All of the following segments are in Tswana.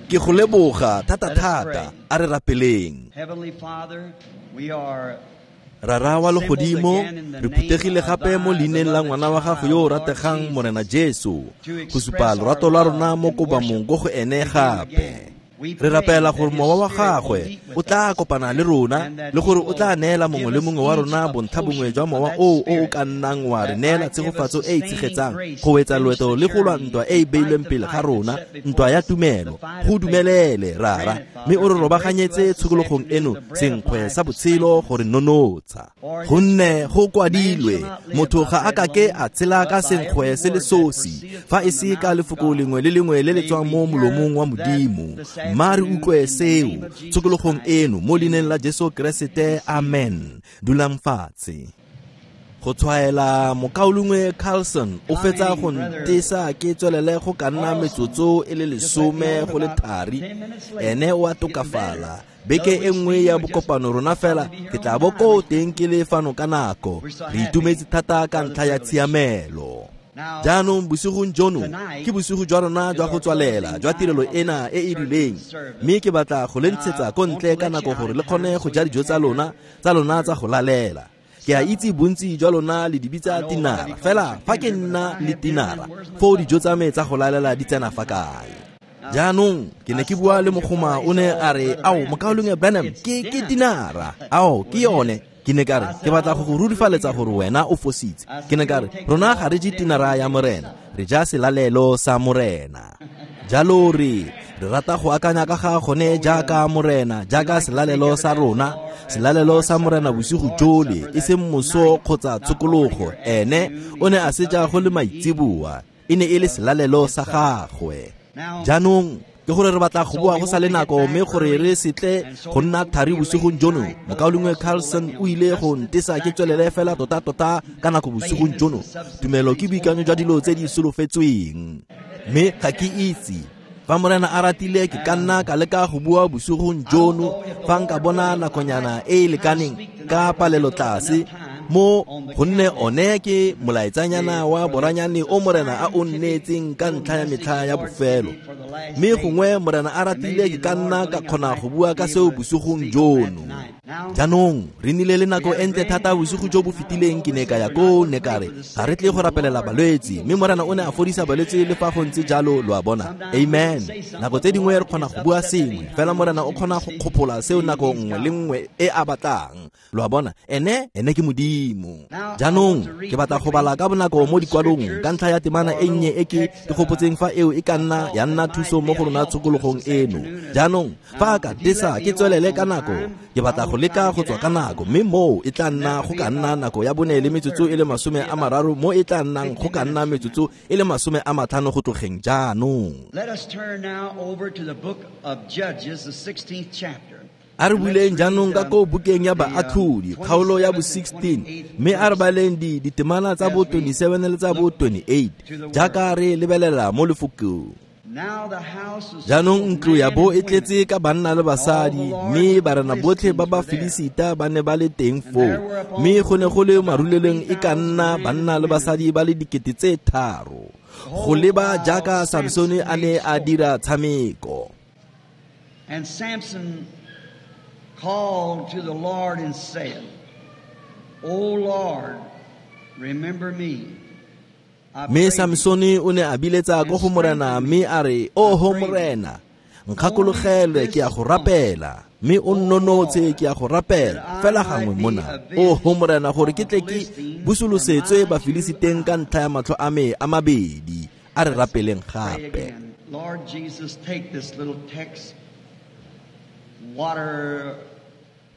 Ke go leboga thata-thata, a re rapeleng. Rara wa legodimo, re phuthegile gape mo leineng la ngwana wa gago yo o rategang Morena Jesu, go supa lorato lwa rona mo kobamong ko go ene gape. Re rapela gore mowa wa gagwe o tla kopana le rona le gore o tla neela mongwe le mongwe wa rona bontlha bongwe jwa mowa oo o o ka nnang wa re neela tshegofatso e e tshegetsang go wetsa loeto le go lwa ntwa e e beilweng pele ga rona, ntwa ya tumelo. Go dumelele, Rara, mme o re robaganyetse tshokologong eno senkgwe sa botshelo gore nonotsha. Gonne go kwadilwe, motho ga a kake a tshela ka senkgwe se le sosi, fa e se ka lefoko lengwe le lengwe le le tswang mo molomong wa Modimo. Mma re utlwe seo tshokologong eno mo leineng la Jesu Keresete, amen. Dulang fatshe. Go tshwaela mokaulengwe Carlson o fetsa go ntesa ke tswelele go ka nna metsotso e le 10 go le thari. Ene o a tokafala. Beke e nngwe ya bokopano rona fela ke tla bo ko teng ke le fano ka nako. Re itumetse thata ka ntlha ya tshiamelo. Jaanong bosigong jono ke bosigo jwa rona jwa go tswalela jwa tirelo ena e e rileng, mme ke batla go le ntshetsa ko ntle ka nako gore le kgone go ja dijo tsa lona tsa go lalela. Ke a itse bontsi jwa lona le di bitsa tinara, fela fa ke nna le tinara foo dijo tsa me tsa go lalela di tsena fa kae? Jaanong ke ne ke bua le mogoma, o ne a re, ao mokaulengwe Branham, ke tinara, ao ke yone. Ke ne ka re, ke batla go go rurifaletsa gore wena o fositse. Ke ne ka re, rona ga re je tinara ya Morena, re ja selalelo sa Morena. Jalo re rata go akanya ka ga gone jaaka Morena, jaaka selalelo sa rona, selalelo sa Morena bosigo jole, e seng moso kgotsa tshokologo. Ene o ne a se ja go le maitseboa, e ne e le selalelo sa gagwe. Jaanong ke gore re batla go boa go sa le nako, mme gore re setle go nna thari bosigong jono. Mokaulengwe Carlson o ile go ntesa ke tswelele fela tota-tota ka nako bosigong jono. Tumelo ke boikanyo jwa dilo tse di solofetsweng, mme ga ke itse fa Morena a ratile ke ka nna ka leka go bua bosigong jono fa nka bona nakonyana e e lekaneng ka palelo tlase mo, gonne one ke molaetsanyana wa boranyane o Morena a o nneetseng ka ntlha ya metlha ya bofelo. Mme gongwe Morena a ratile ke ka nna ka kgona go bua ka seo bosigong jono. Jaanong re nnile le nako e ntle thata bosigo jo bo fetileng. Ke ne ka ya koo, ne ka re ga re tle go rapelela balwetse, mme Morena o ne a fodisa balwetse le fa go ntse jalo, lo a bona. Amen. Nako tse dingwe re kgona go bua sengwe, fela Morena o kgona go kgophola seo nako nngwe le nngwe e a batlang. Lo a bona, ene ke Modimo. Jaanong ke batla go bala ka bonako mo dikwalong ka ntlha ya temana e nnye e ke gopotseng fa eo e ka nna ya nna thuso mo go rona tshokologong eno. Jaanong fa ka desa ke tswelele ka nako, ke batla go leka go tswa ka nako, mme moo e tla nna go ka nna nako ya 4 le metsotso e le 30, mo e tla nnang go ka nna metsotso e le 50 go tlogeng jaanong. Let us turn now over to the book of Judges, the 16th chapter. A re buleng jaanong ka ko bukeng ya Baatlhodi, kgaolo ya bo 16, mme a re baleng ditemana tsa bo 27 le tsa bo 28 jaaka re lebelela mo lefokong. Jaanong ntlo ya bo e tletse ka banna le basadi, mme barena botlhe ba ba Filisita ba ne ba le teng foo, mme go ne go le marulelong e ka nna banna le basadi ba le 3,000, go leba jaaka Samsone a ne a dira tshameko. And Samson called to the Lord and said, O Lord, remember me. Mme Samsone o ne a biletsa ko go Morena mme a re, Oho Morena, nkgakologelwe ke a go rapela, mme o nnonotse ke a go rapela fela gangwe mona. Oho Morena, gore ke tle ke busolosetswe Bafilisiteng ka ntlha ya matlho a me a mabedi. A re rapeleng gape. Lord Jesus, take this little text, water.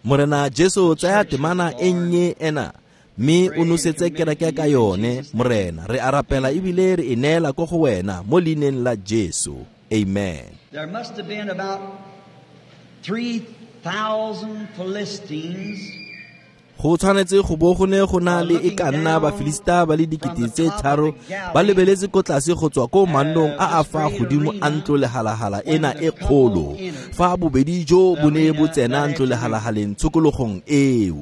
Morena Jesu, tsaya temana e nnye ena mme o nosetse kereke ka yone. Morena, re a rapela ebile re e neela ko go wena mo leineng la Jesu. Amen. There must have been about 3,000 Philistines. Go tshwanetse go bo go ne go na le e ka nna Bafilista ba le 3,000 ba lebeletse ko tlase go tswa ko mannong a a fa godimo a ntlo lehalahala ena e kgolo, fa bobedi jo bo ne bo tsena ntlo lehalahaleng tshokologong eo.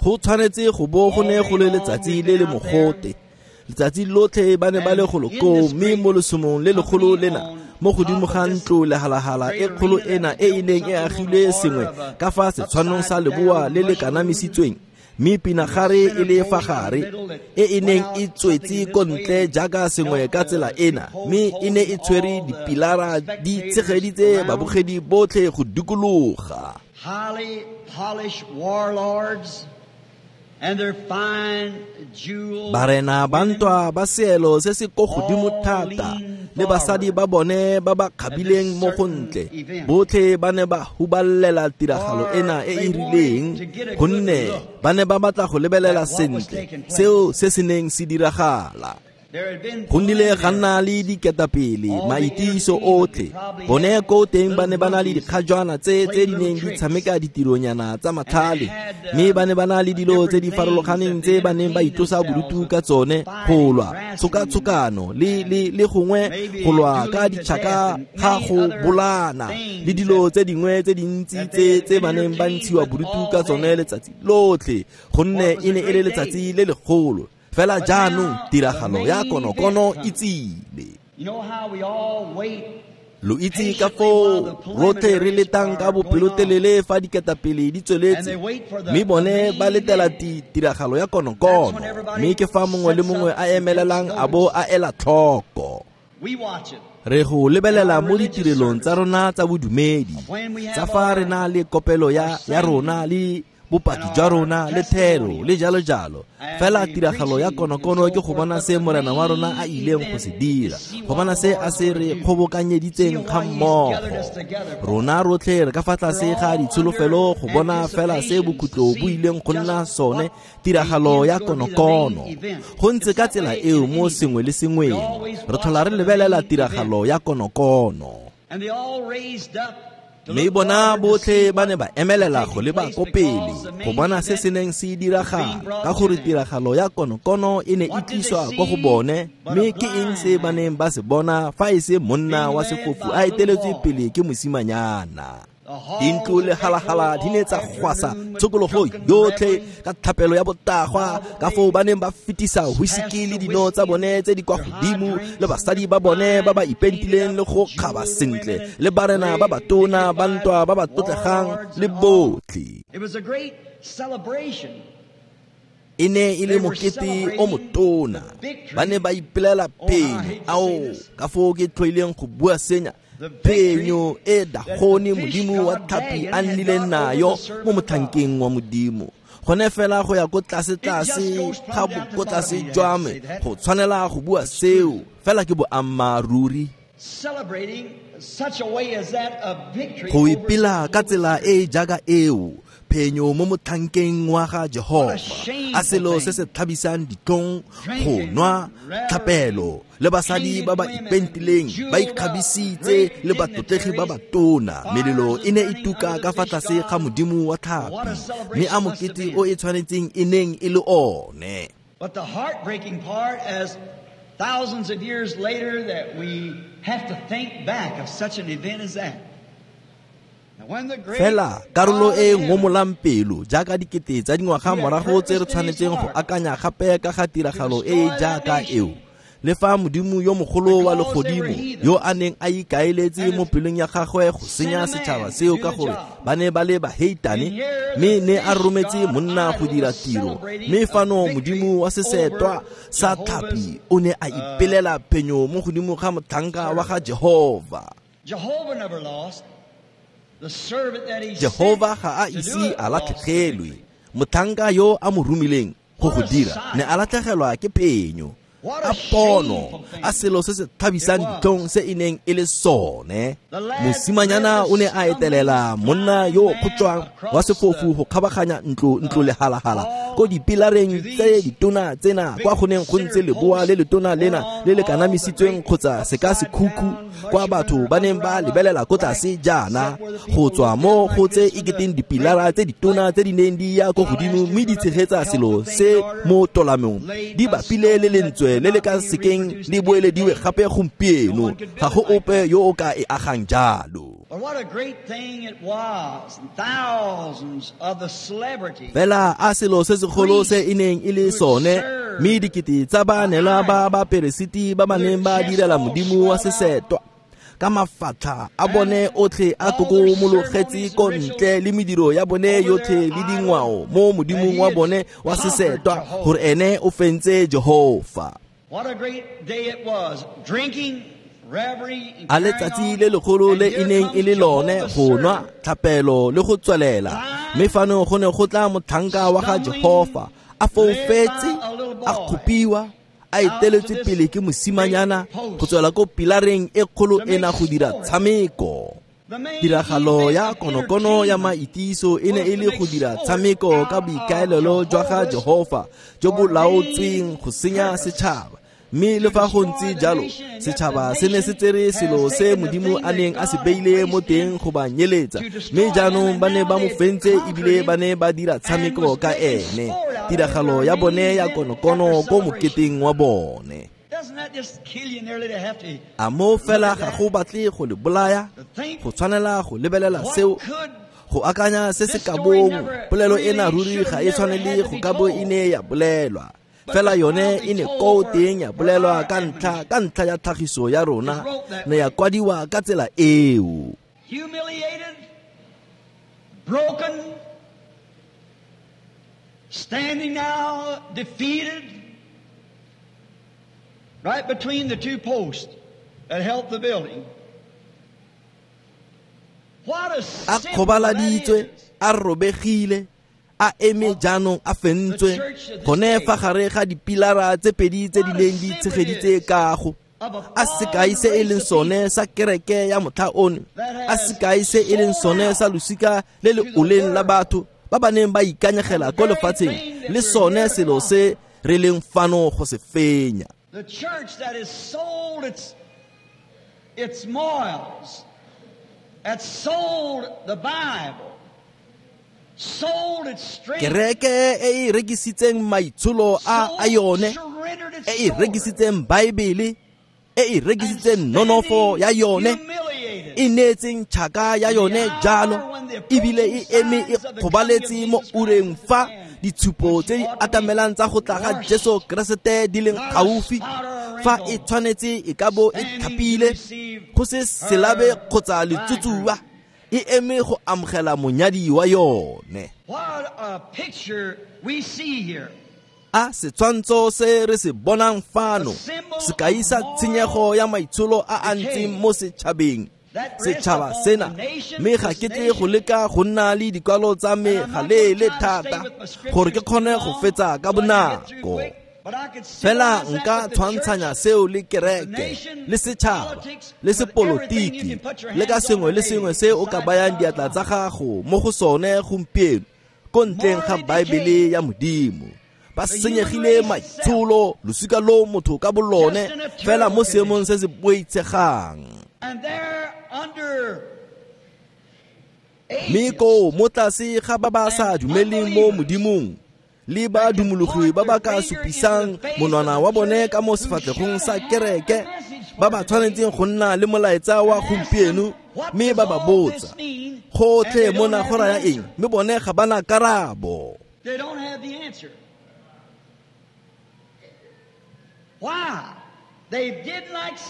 Go tshwanetse go bo go ne go le letsatsi le le mogote. Letsatsi lotlhe ba ne ba le golo koo, mme mo lesomong le legolo lena mo godimo ga ntlo lehalahala e kgolo ena e e neng e agilwe sengwe ka fa setshwanong sa leboa le le kanamisitsweng, mme pinagare e le fa gare e e neng e tswetse ko ntle jaaka sengwe ka tsela ena, mme e ne e tshwere dipilara di tshegeditse babogedi botlhe go dikologa. Highly polished warlords and their fine jewels, Barena ba ntwa ba seelo se se ko godimo thata le basadi ba bone ba ba kgabileng mo go ntle, botlhe ba ne ba huballela tiragalo ena e e rileng, gonne ba ne ba batla go lebelela sentle seo se se neng se diragala. There had been Go nnile ga nna le diketapele, maitiso otlhe. Bone ko teng ba ne ba na le dikgajwana tse di neng di tshameka ditironyana tsa matlhale, mme ba ne ba na le dilo tse di farologaneng tse ba neng ba itlosa bodutu ka tsone, go lwa tshokatshokano le gongwe go lwa ka ditšhaka ga go bolana le dilo tse dingwe tse dintsi tse ba neng ba ntshiwa bodutu ka tsone letsatsi lotlhe, gonne e ne e le letsatsi le legolo. Fela jaanong tiragalo ya konokono e tsile. You know how we all wait Lo itse ka foo rotlhe re letang ka bopelotelele fa diketapele di tsweletse, mme bone ba letela tiragalo ya konokono, mme ke fa mongwe le mongwe a emelelang a bo a ela tlhoko. We watch it. Re go lebelela mo ditirelong tsa rona tsa bodumedi, tsa fa re na le kopelo ya rona le bopaki jwa rona le thero le jalo jalo. Fela tiragalo ya konokono ke go bona se morena wa rona a ileng go se dira, go bona se a se re kgobokanyeditseng ga mmogo. Rona rotlhe re ka fa tlase ga ditsholofelo go bona fela se bokhutlo bo ileng go nna sone, tiragalo ya konokono. Go ntse ka tsela eo mo sengwe le sengweng, re tlhola re lebelela tiragalo ya konokono. And they all raised up Mme bona botlhe ba ne ba emelela go leba ko pele go bona se se neng se diragala, ka gore tiragalo ya konokono e ne e tliswa kwa go bone. Mme ke eng se ba neng ba se bona fa e se monna wa sefofu a eteletswe pele ke mosimanyana? Dintlo le halahala di ne tsa gwasa tshokologo yotlhe ka thapelo ya botagwa, ka foo ba neng ba fetisa whisky le dino tsa bone tse di kwa godimo, le basadi ba bone ba ba ipentileng le go kgaba sentle, le barena ba batona ba ntwa ba ba tlotlegang le botlhe. It was a great celebration. E ne e le mokete o motona. Ba ne ba ipelela phenyo. Ao, ka foo ke tlhoileng go bua senya, phenyo e Dagone modimo wa tlhapi a nnileng nayo mo motlhankeng wa modimo. Gone fela go ya ko tlase-tlase ga ko tlase jwa me, go tshwanela go bua seo, fela ke boammaaruri. Celebrating such a way as that of victory Go over ipela ka tsela e jaaka eo, phenyo mo motlhankeng wa ga Jehova, a selo se se tlhabisang ditlhong, go nwa thapelo le basadi ba ba ipentileng, ba ikgabisitse le batlotlegi ba batona. Melelo e ne e tuka ka fa tlase ga modimo wa tlhapi, mme a mokete o e tshwanetseng e neng e le one. But the heartbreaking part, as thousands of years later, that we have to think back of such an event as that. Fela karolo e ngomolang pelo jaaka dikete tsa dingwaga morago tse re tshwanetseng go akanya gape ka ga tiragalo e e jaaka eo, le fa modimo yo mogolo wa legodimo yo a neng a ikaeletse mo pelong ya gagwe go senya setšhaba seo ka gore ba ne ba le baheitane, mme ne a rometse monna go dira tiro. Mme fano modimo wa sesetwa sa tlhapi o ne a ipelela phenyo mo godimo ga motlhanka wa ga Jehova. Jehovah never lost. The servant that he Jehova ga a ise a latlhegelwe. Motlhanka yo a mo romileng go go dira ne a latlhegelwa ke phenyo. A pono, a selo se se thabisang ditlhong se e neng e le sone. Mosimanyana o ne a etelela monna yo o kgotšwang wa sefofu go kgabaganya ntlo lehalahala ko dipilareng tse ditona tsena, kwa go neng go ntse leboa le letona lena le le kanamisitsweng kgotsa seka sekhukhu, kwa batho ba neng ba lebelela ko tlase jaana, go tswa mo go tse e keteng dipilara tse ditona tse di neng di ya ko godimo mme di tshegetsa selo se mo tolamong, di bapile le lentswe le le ka sekeng le boelediwe gape gompieno. Ga go ope yo o ka e agang jalo. But what a great thing it was. And thousands of the celebrities. Fela a selo se segolo se e neng e le sone, mme dikete tsa baanelwa ba baperesiti ba ba neng ba direla modimo wa sesetwa, Ka mafatlha a bone otlhe a kokomologetse ko ntle le mediro ya bone yotlhe le dingwao mo modimong wa bone wa sesetwa gore ene o fentse Jehofa. A letsatsi le legolo le e neng e le lone go nwa tlhapelo le go tswelela, mme fano go ne go tla motlhanka wa ga Jehofa a foufetse, a kgopiwa, a eteletswe pele ke mosimanyana go tswela ko pilareng e kgolo ena go dira tshameko. Tiragalo ya konokono ya maitiso e ne e le go dira tshameko ka boikaelelo jwa ga Jehofa jo bo laotsweng go senya setšhaba. Mme le fa go ntse jalo, setšhaba se ne se tsere selo se Modimo a neng a se beile mo teng go ba nyeletsa, mme jaanong ba ne ba mo fentse ebile ba ne ba dira tshameko ka ene. Tiragalo ya bone ya konokono ko moketeng wa bone. A mo fela ga go batle go le bolaya, go tshwanela go lebelela seo, go akanya se se ka bong. Polelo ena ruri ga e tshwanele go ka bo e ne ya bolelwa. Fela yone e ne ko teng ya bolelwa ka ntlha ya tlhagiso ya rona, ne ya kwadiwa ka tsela eo. Humiliated, broken, standing now defeated, right between the two posts that held the building. What a A kgobaladitswe, a robegile, a eme jaanong a fentswe gone fa gare ga dipilara tse pedi tse di neng di tshegeditse kago. A sekai se e leng sone sa kereke ya motlha ono, a sekai se e leng sone sa losika le le oleng la batho ba ba neng ba ikanyegela ko lefatsheng, le sone selo se re leng fano go se fenya. The church that has sold its morals, that sold the Bible, sold its strength, Kereke e e rekisitseng maitsholo a yone, e e rekisitseng Baebele, e e rekisitseng nonofo ya yone, e neetseng tšhaka ya yone jalo, ebile e eme e kgobaletse mo ureng fa ditshupo tse di atamelang tsa go tla ga Jesu Keresete di leng gaufi, fa e tshwanetse e ka bo e tlhapile go se selabe kgotsa letsutsuba, e eme go amogela monyadi wa yone. What a picture we see here. A setshwantsho se re se bonang fano, sekai sa tshenyego ya maitsholo a a ntseng mo setšhabeng. Setšhaba sena, mme ga ke tle go leka go nna le dikwalo tsa me galeele thata gore ke kgone go fetsa ka bonako. Fela nka tshwantshanya seo le kereke, le setšhaba, le sepolotiki, le ka sengwe le sengwe se o ka bayang diatla tsa gago mo go sone gompieno ko ntleng ga Baebele ya Modimo. Ba senyegile maitsholo, losika lo motho ka bolone, fela mo seemong se se boitshegang. Mme koo mo tlase ga ba ba sa dumeleng mo Modimong, le ba dumologi ba ba ka supisang monwana wa bone ka mo sefatlhegong sa kereke, ba ba tshwanetseng go nna le molaetsa wa gompieno, mme ba ba botsa gotlhe mona go raya eng, mme bone ga ba na karabo.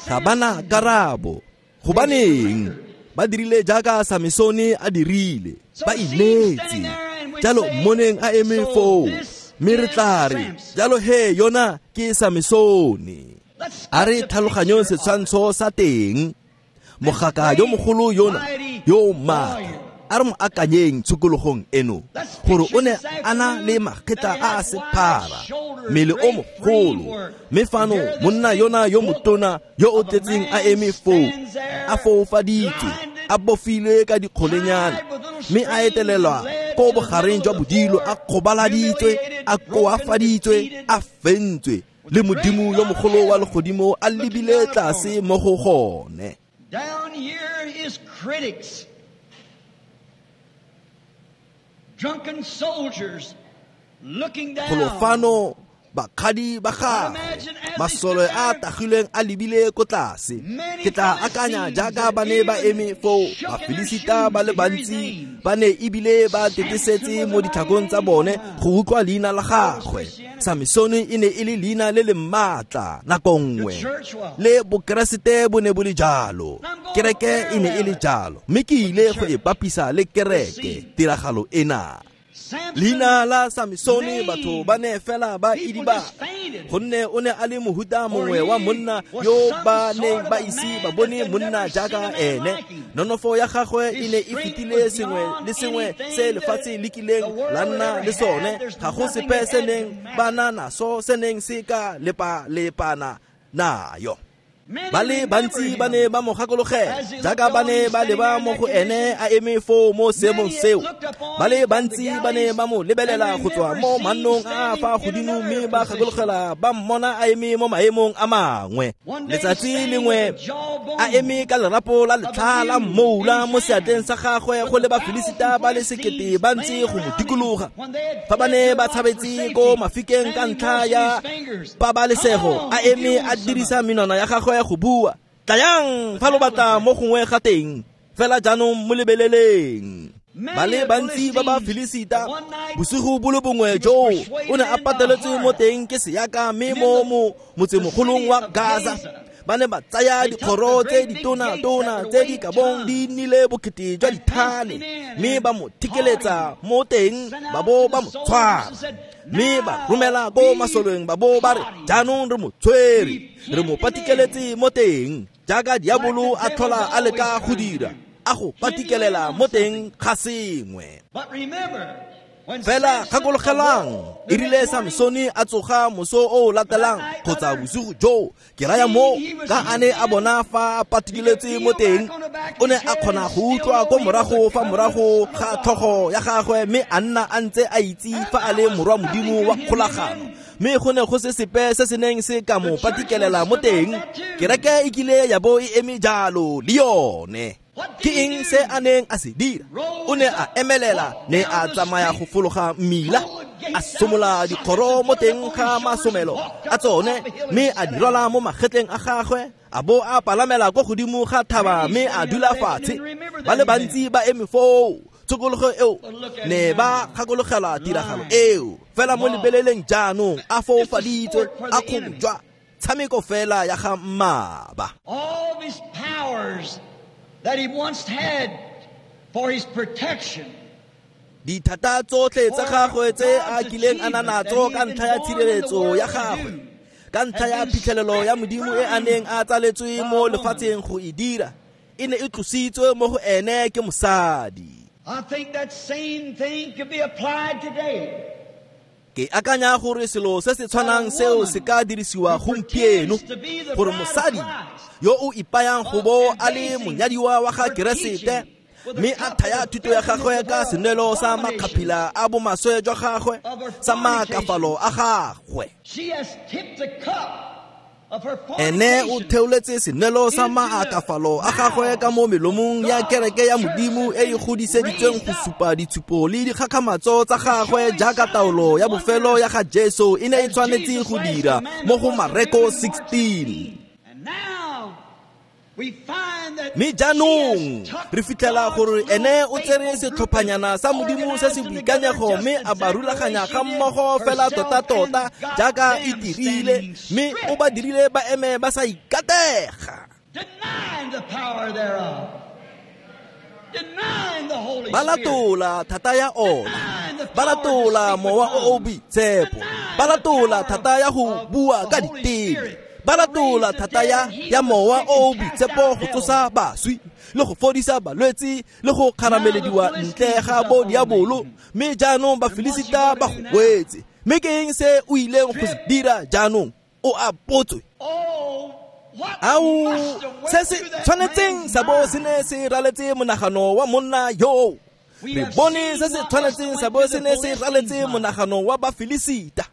Ga ba na karabo. Gobaneng? Ba dirile jaaka Samesone a dirile, ba ineetse. Jalo mmoneng a eme foo, mme re tla re jalo he yona ke Samesone. A re tlhaloganyong setshwantsho sa teng. Mogaka yo mogolo yona yo maatla, a re mo akanyeng tshokologong eno gore o ne a na le makgetla a a sephara, mmele o mogolo, mme fano monna yona yo motona yo o tletseng a eme foo, a foufaditswe, a bofilwe ka dikgolenyana, mme a etelelwa ko bogareng jwa bodilo, a kgobaladitswe, a koafaditswe, a fentswe, le Modimo yo mogolo wa legodimo a lebile tlase mo go gone. Down here his critics, drunken soldiers looking down. Golo fano bakgadi ba gagwe, masole a tagilweng a lebile ko tlase. Ke tla akanya jaaka ba ne ba eme foo, Bafilisita ba le bantsi ba ne ebile ba tetesetse mo ditlhakong tsa bone go utlwa leina la gagwe. Samesone e ne e le leina le le maatla nako nngwe, le Bokeresete bo ne bo le jalo. Kereke e ne e le jalo, mme ke ile go e bapisa le kereke tiragalo ena. Leina la Samsone batho ba ne fela ba idiba, gonne o ne a le mohuta mongwe wa monna yo ba neng ba ise ba bone monna jaaka ene. Nonofo ya gagwe e ne e fetile sengwe le sengwe se lefatshe le kileng la nna le sone. Ga go sepe se neng ba na naso se neng se ka lepa-lepana nayo. Ba le bantsi ba ne ba mo gakologela jaaka ba ne ba leba mo go ene a eme foo mo seemong seo. Ba le bantsi ba ne ba mo lebelela go tswa mo mannong a a fa godimo, mme ba gakologela ba mmona a eme mo maemong a mangwe. Letsatsi lengwe a eme ka lerapo la letlha la mmoula mo seatleng sa gagwe, go le Bafilisita ba le 1000 ba ntse go mo dikologa. Fa ba ne ba tshabetse ko mafikeng ka ntlha ya pabalesego, a eme a dirisa menwana ya gagwe go bua, "Tlayang fa lo batla mo gongwe ga teng, fela jaanong mo lebeleleng." Ba le bantsi ba Bafilisita bosigo bo le bongwe joo o ne a pateletswe mo teng ke seaka, mme mo motsemogolong wa Gaza ba ne ba tsaya dikgoro tse ditona-tona tse di ka bong di nnile bokete jwa dithane, mme ba mo thikeletsa mo teng ba bo ba mo tshwara, mme ba romela ko masoleng ba bo ba re, "Jaanong re mo tshwere, re mo patikeletse mo teng," jaaka diabolo a tlhola a leka go dira, a go patikelela mo teng ga sengwe. Fela gakologelang, e rile Samsone a tsoga moso o o latelang kgotsa bosigo joo, ke raya mo ka a ne a bona fa a patikeletse mo teng, o ne a kgona go utlwa ko morago fa morago ga tlhogo ya gagwe, mme a nna a ntse a itse fa a le morwa Modimo wa kgolagano. Mme go ne go se sepe se se neng se ka mo patikelela mo teng. Kereke e kile ya bo e eme jalo le yone. Ke eng se a neng a se dira? O ne a emelela, ne a tsamaya go fologa mmila, a somola dikgoro mo teng ga masomelo a tsone, mme a di rwala mo magetleng a gagwe, a bo a palamela ko godimo ga thaba, mme a dula fatshe. Ba le bantsi ba eme foo tshokologo eo ne ba gakologela tiragalo eo. Fela mo lebeleleng jaanong a foufaditswe, a kgojwa, tshameko fela ya ga mmaba. All these powers that he once had for his protection, Dithata tsotlhe tsa gagwe tse a kileng a na natso ka ntlha ya tshireletso ya gagwe, ka ntlha ya phitlhelelo ya Modimo e a neng a tsaletswe mo lefatsheng go e dira, e ne e tlositswe mo go ene ke mosadi. I think that same thing could be applied today. Ke akanya gore selo se se tshwanang seo se ka dirisiwa gompieno, gore mosadi yo o ipayang go bo a le monyadiwa wa ga Keresete, mme a thaya thuto ya gagwe ka senwelo sa makgaphila a bomaswe jwa gagwe, sa maakafalo a gagwe. She has tipped the cup of her Ene o fornication theoletse senwelo sa maakafalo a gagwe ka mo melomong ya kereke ya Modimo e e godiseditsweng go supa ditshupo le dikgakgamatso tsa gagwe, jaaka taolo ya bofelo ya ga Jesu e ne e tshwanetse go dira mo go Mareko 16. And now we find that Mme jaanong she has re fitlhela gore ene o tsere setlhophanyana sa Modimo se se boikanyego, mme a ba rulaganya ga mmogo fela tota-tota jaaka e dirile, mme o ba dirile ba eme ba sa ikatega, denying the power thereof, denying the Holy ba Spirit, latola thata ya ona, ba latola mowa o o boitshepo, ba latola thata ya go bua ka diteme, ba latola thata ya mowa o o boitshepo go tsosa baswi le go fodisa balwetse le go kgaramelediwa ntle ga bo diabolo. Mme jaanong Bafilisita ba go wetse. Mme ke eng se o ileng go se dira jaanong? O a potswe. Oh, what Ao, must have went se se through that tshwanetseng man's sa bo se mind? ne se raletse monagano wa monna yoo. We Re have bone seen se se what tshwanetseng must sa have bo went se through ne the se Philistines' raletse mind. monagano wa Bafilisita.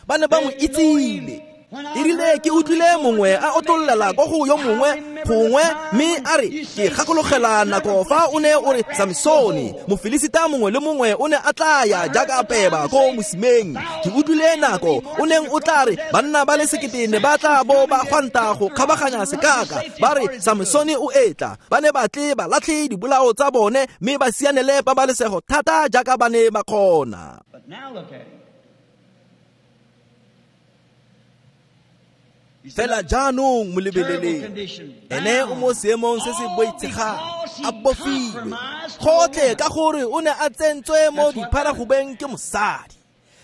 Ba ne ba mo itsile. E rile ke utlwile mongwe a otlollela ko go yo mongwe gongwe, mme a re, "Ke gakologela nako fa o ne o re Samsone, Mofilisita mongwe le mongwe o ne a tla ya jaaka peba ko mosimeng. Ke utlwile nako o neng o tla re banna ba le 1000 ne ba tla bo ba gwanta go kgabaganya sekaka, ba re Samsone o etla." Ba ne ba tle ba latlhe dibolao tsa bone mme ba sianele pabalesego thata jaaka ba ne ba kgona. But now look at him. Fela jaanong mo lebeleleng, ene o mo seemong se se boitshegang, a bofilwe gotlhe ka gore o ne a tsentswe mo dipharagobeng ke mosadi.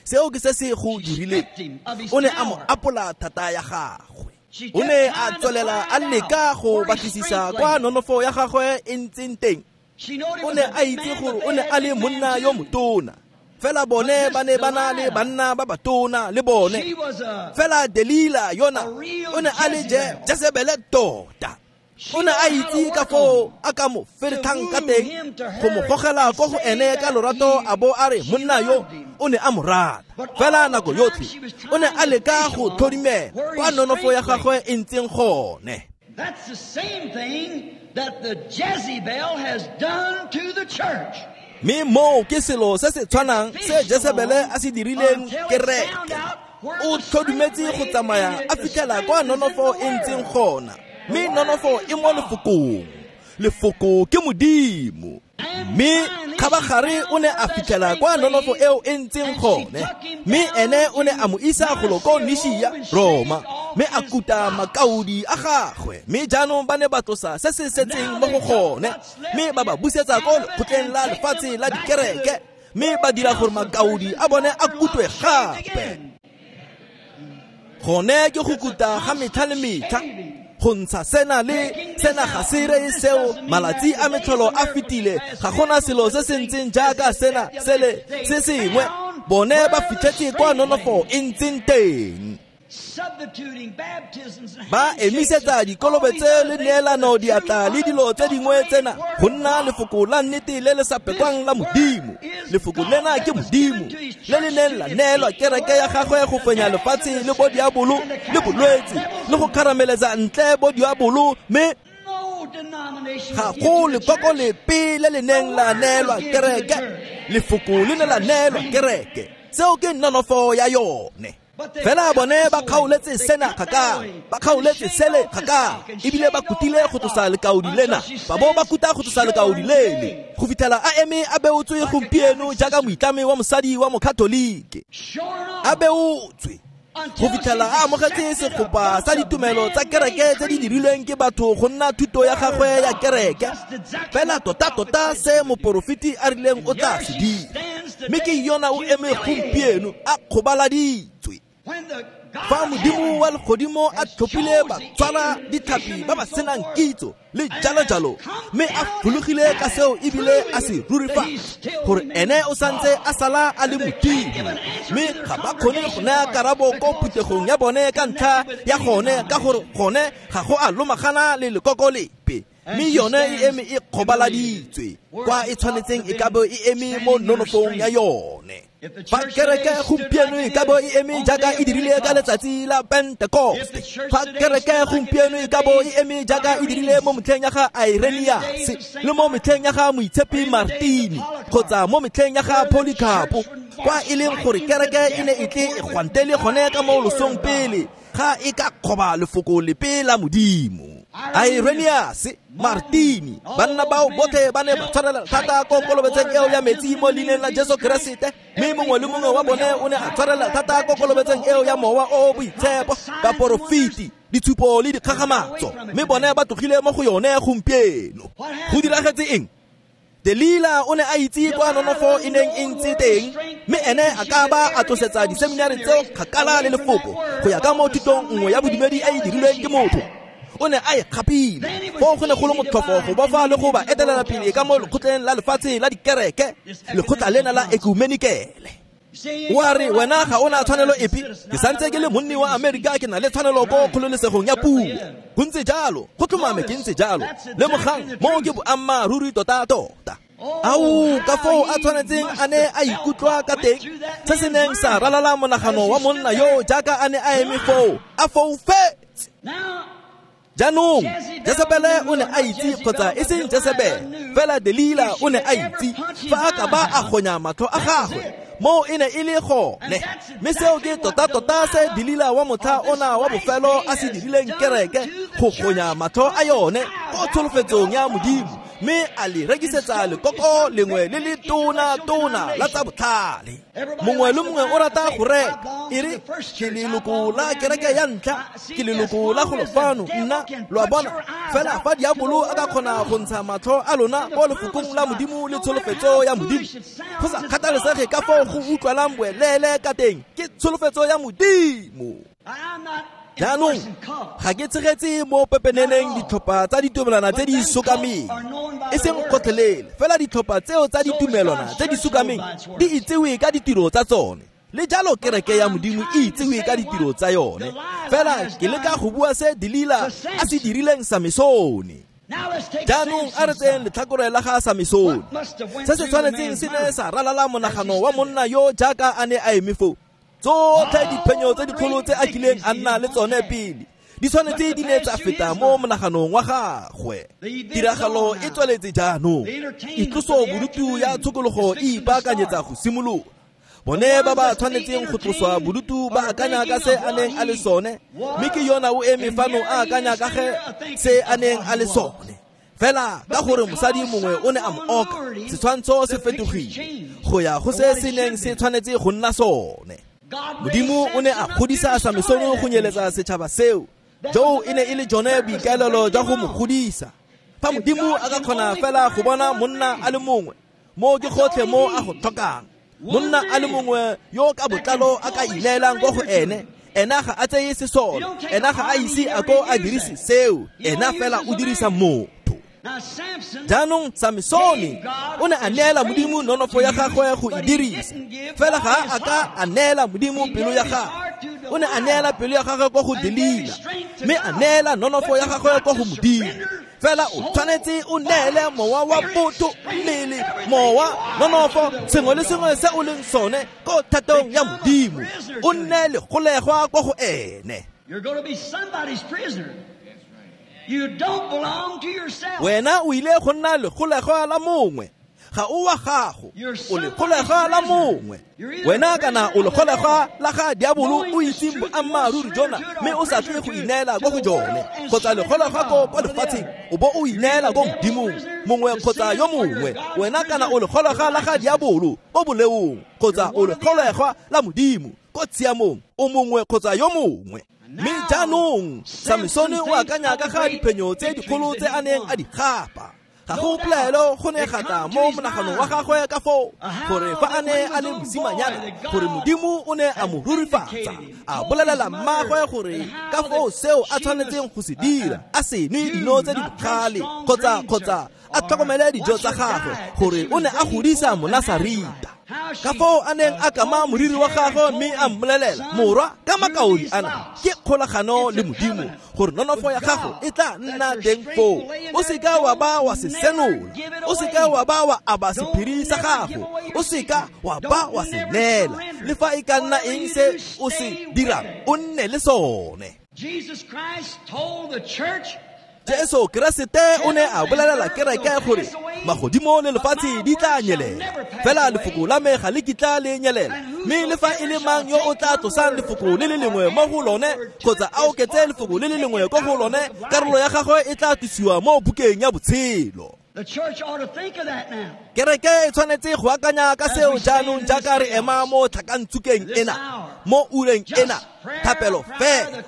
Seo ke se se go dirileng. O ne a mo apola thata ya gagwe. O ne a tswelela a leka go batlisisa kwa nonofo ya gagwe e ntseng teng. O ne a itse gore o ne a le monna yo motona, fela bone ba ne ba na le banna ba batona le bone. Fela Delila yona o ne a le Jezebele tota. O ne a itse ka foo a ka mo feretlhang ka teng go mo gogela ko go ene ka lorato, a bo a re monna yo o ne a mo rata. Fela nako yotlhe o ne a leka go tlhodumela kwa nonofo ya gagwe e ntseng gone. That's the same thing that the Jezebel has done to the church. Mme moo ke selo se se tshwanang se Jezebele a se dirileng kereke. O tlhodumetse go tsamaya a fitlhela kwa nonofo e ntseng gona, mme nonofo e mo lefokong. Lefoko ke Modimo. Mme kgabagare o ne a fitlhela kwa nonofo eo e ntseng gone, mme ene o ne a mo isa golo ko Nishia, Roma, mme a kuta makaodi a gagwe. Mme jaanong ba ne ba tlosa se se setseng mo go gone, mme ba ba busetsa ko lekgotleng la lefatshe la dikereke, mme ba dira gore makaodi a bone a kutwe gape. Gone ke go kuta ga metlha le metlha, go ntsha sena le sena ga se reye seo. Malatsi a metlholo a fetile, ga gona selo se se ntseng jaaka sena sele se sengwe. Bone ba fitlhetse kwa nonofo e ntseng teng. Ba emisetsa dikolobetse le neelano diatla le dilo tse dingwe tsena go nna lefoko la nnete le le sa pekwang la Modimo. Lefoko lena ke Modimo le le neng la neelwa kereke ya gagwe go fenya lefatshe le bodiabolo le bolwetse le go kgarameletsa ntle bodiabolo, mme ga go lekoko lepe le le neng la neelwa kereke. Lefoko le ne la neelwa kereke. Seo ke nonofo ya yone. Fela bone ba kgaoletse sena kgakala, ba kgaoletse sele kgakala, ebile ba kutile go tlosa lekaodi lena, ba bo ba kuta go tlosa lekaodi lele, go fitlhela a eme a beotswe gompieno jaaka moitlami wa mosadi wa mokatholike. A beotswe go fitlhela a amogetse segopa sa ditumelo tsa kereke tse di dirilweng ke batho go nna thuto ya gagwe ya kereke. Fela tota-tota se moporofeti a rileng o tla se dira, mme ke yona o eme gompieno a kgobaladitswe. Fa Modimo wa legodimo a tlhophile batshwara ditlhapi ba ba senang kitso le jalo-jalo, mme a fologile ka seo ebile a se rurifatsa gore ene o santse a sala a le Modimo, mme ga ba kgone go naya karabo ko phuthegong ya bone ka ntlha ya gone, ka gore gone ga go a lomagana le lekoko lepe. Mme yone e eme e kgobaladitswe kwa e tshwanetseng e ka bo e eme mo nonofong ya yone. Fa kereke gompieno e ka bo e eme jaaka e dirile ka letsatsi la Pentecost, fa kereke gompieno e ka bo e eme jaaka e dirile mo metlheng ya ga Irenaeus le mo metlheng ya ga Moitshepi Martini kgotsa mo metlheng ya ga Polycarpo, kwa e leng gore kereke e ne e tle e gwantele gone ka mo losong pele ga e ka kgoba lefoko lepe la Modimo. Irenaeus, Martini, banna bao botlhe ba ne ba tshwarela thata ko kolobetseng eo ya metsi mo leineng la Jesu Keresete, mme mongwe le mongwe wa bone o ne a tshwarela thata ko kolobetseng eo ya Mowa o o Boitshepo, baporofeti, ditshupo le dikgakgamatso, mme bone ba tlogile mo go yone gompieno. Go diragetse eng? Delila o ne a itse kwa nonofo e neng e ntse teng, mme ene a ka ba a tlosetsa diseminari tseo kgakala le lefoko go ya ka mo thutong nngwe ya bodumedi e e dirilweng ke motho. O ne a e kgapile foo go ne go le motlhofo go bofa le go ba etelela pele ka mo lekgotleng la lefatshe la dikereke, lekgotla lena la ekumenikele. Wa re wena ga o na tshwanelo epe, ke santse ke le monni wa Amerika, ke na le tshwanelo ko kgololesegong ya puo. Go ntse jalo, go tlhomame ke ntse jalo. Lemogang moo ke boammaaruri tota-tota. Ao, ka foo a tshwanetseng a ne a ikutlwa ka teng, se se neng sa ralala monagano wa monna yo jaaka a ne a eme foo, a foufetse. Jaanong Jezebele o ne a itse, kgotsa e seng Jezebele fela Delila o ne a itse fa a ka ba a gonya matlho a gagwe, moo e ne e le gone. Mme seo ke tota-tota se Delila wa motlha ona wa bofelo a se dirileng kereke, go gonya matlho a yone ko tsholofetsong ya Modimo Mme a le rekisetsa lekoko lengwe le le tona-tona la tsa botlhale. Mongwe le mongwe o rata go reka. E re ke leloko la kereke ya ntlha, ke leloko la golo fano, nna lo a bona. Fela fa diabolo a ka kgona go ntsha matlho a lona mo lefokong la Modimo le tsholofetso ya Modimo, go sa kgathalesege ka foo go utlwalang boeleele ka teng, ke tsholofetso ya Modimo. Jaanong ga ke tshegetse mo pepeneneng ditlhopha tsa ditumelwana tse di sokameng, e seng gotlhelele, fela ditlhopha tseo tsa ditumelwana tse di sokameng di itsewe ka ditiro tsa tsone. Le jalo kereke ya Modimo e itsewe ka ditiro tsa yone. Fela ke leka go bua se Delila a se dirileng Samesone. Jaanong a re tseyeng letlhakore la ga Samesone. Se se tshwanetseng se ne sa ralala monagano wa monna yo jaaka a ne a eme foo. Tsotlhe diphenyo tse dikgolo tse a kileng a nna le tsone pele di tshwanetse di ne tsa feta mo monaganong wa gagwe. Tiragalo e tsweletse jaanong. Itloso bodutu ya tshokologo e ipaakanyetsa go simolola. Bone ba ba tshwanetseng go tloswa bodutu ba akanya ka se a neng a le sone, mme ke yona o eme fano a akanya ka ge se a neng a le sone. Fela ka gore mosadi mongwe o ne a mo oka, setshwantsho se fetogile go ya go se se neng se tshwanetse go nna sone. Modimo o ne a godisa Samesone go nyeletsa setšhaba seo. Joo e ne e le jone boikaelelo jwa go mo godisa. Fa Modimo a ka kgona fela go bona monna a le mongwe, mo ke gotlhe mo a go tlhokang. Monna a le mongwe yo ka botlalo a ka ineelang ko go ene, ena ga a tseye sesole, ena ga a ise a ko a dirise seo, ena fela o dirisa motho. Jaanong Samesone o ne a neela Modimo nonofo ya gagwe go e dirisa, fela ga a ka a neela Modimo pelo ya gagwe. O ne a neela pelo ya gagwe ko go Delila, mme a neela nonofo ya gagwe ko go Modimo. Fela o tshwanetse o neele mowa wa botho, mmele, mowa, nonofo, sengwe le sengwe se o leng sone ko thatong ya Modimo. O nne legolegwa ko go ene. You're going to be somebody's prisoner. You don't belong to yourself. Wena o ile go nna legolegwa la mongwe. Ga o wa gago, o legolegwa la mongwe. Wena kana o legolegwa la ga diabolo o itseng boammaaruri jona, mme o sa tle go ineela ko go jone, kgotsa legolegwa ko lefatsheng o bo o ineela ko Modimong mongwe kgotsa yo mongwe. Wena kana o legolegwa la ga diabolo ko boleong, kgotsa o legolegwa la Modimo ko tshiamong, o mongwe kgotsa yo mongwe. Mme jaanong Samesone o akanya ka ga diphenyo tse dikgolo tse a neng a di gapa. Ga go pelaelo go ne ga tla mo monaganong wa gagwe ka foo gore fa a ne a le mosimanyana, gore Modimo o ne a mo rurifatsa, a bolelela mmagwe gore ka foo seo a tshwanetseng go se dira, a se nwe dino tse di bogale kgotsa a tlhokomele dijo tsa gagwe, gore o ne a godisa Monasarita. Ka foo a neng a kama moriri wa gagwe mme a mmolelela, morwa, ka makaodi ana ke kgolagano le Modimo gore nonofo ya gago e tla nna teng foo. O seka wa ba wa se senola, o seka wa ba wa aba sephiri sa gago, o seka wa ba wa se neela. Le fa e ka nna eng se o se dirang, o nne le sone. Jesus Christ told the church Jesu Keresete o ne a bolelela kereke gore magodimo le lefatshe di tla nyelela, fela lefoko la me ga le kitla le nyelela. Mme le fa e le mang yo o tla tlosang lefoko le le lengwe mo go lone, kgotsa a oketse lefoko le le lengwe ko go lone, karolo ya gagwe e tla tlosiwa mo bukeng ya botshelo. The church ought to think of that now. Kereke e tshwanetse go akanya ka seo jaanong jaaka re ema mo tlhakantsukeng ena, mo ureng ena, thapelo fela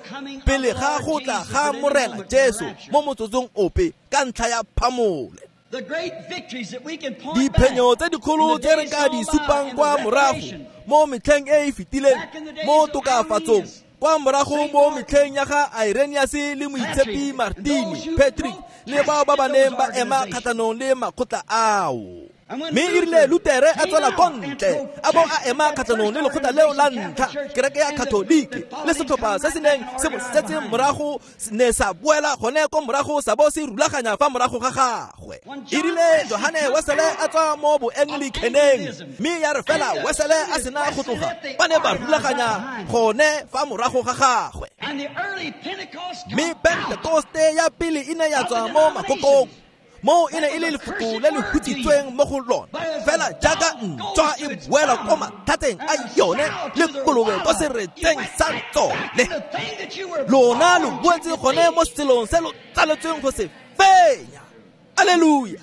pele ga go tla ga Morena Jesu mo motsotsong ope ka ntlha ya phamole. The great victories that we can point Diphenyo back tse dikgolo tse re ka di supang kwa morago mo metlheng e e fetileng, mo tokafatsong, kwa morago mo metlheng ya ga Irenaeus le moitshepi Martini, Patrick le bao ba ba neng ba ema kgatlhanong le makgotla ao. Mme e rile Lutere a tswela ko ntle, a bo a ema kgatlhanong le lekgotla leo la ntlha, kereke ya Katoliki, le setlhopha se se neng se mo setse morago ne sa boela gone ko morago sa bo se rulaganya fa morago ga gagwe. E rile Johane Wesele a tswa mo boanglicaneng, mme ya re fela Wesele a sena go tloga, ba ne ba rulaganya gone fa morago ga gagwe. And the early Pentecost Mme Pentekoste ya pele e ne ya tswa mo makokong, mo e ne e le lefoko le le hutsitsweng mo go lona, fela jaaka ntšwa e boela ko mathateng a yone le kolobe ko seretseng sa tsone. Lona lo boetse gone mo selong se lo tsaletsweng go se fenya. Alleluia!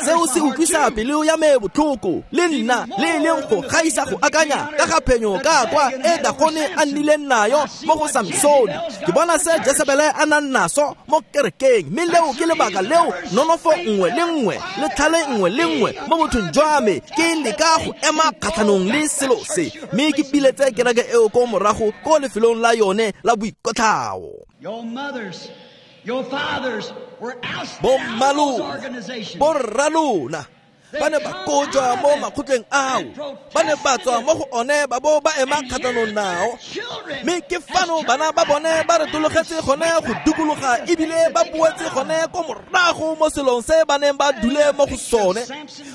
Seo se utlwisa pelo ya me botlhoko le nna le e leng go gaisa go akanya ka ga phenyo ka kwa e Dagone a nnileng nayo mo go Samsone. Ke bona se Jesebele a nang naso mo kerekeng, mme leo ke lebaka leo nonofo nngwe le nngwe le tlhale nngwe le nngwe mo bothong jwa me ke leka go ema kgatlhanong le selo se, mme ke piletse kereke eo ko morago ko lefelong la yone la boikotlhao. Bommalona, borralona ba ne ba kojwa mo makgotleng ao, ba ne ba tswa mo go one ba bo ba ema kgatlhanong nao, mme ke fano bana ba bone ba retologetse gone go dikologa ebile ba boetse gone ko morago mo selong se ba neng ba dule mo go sone.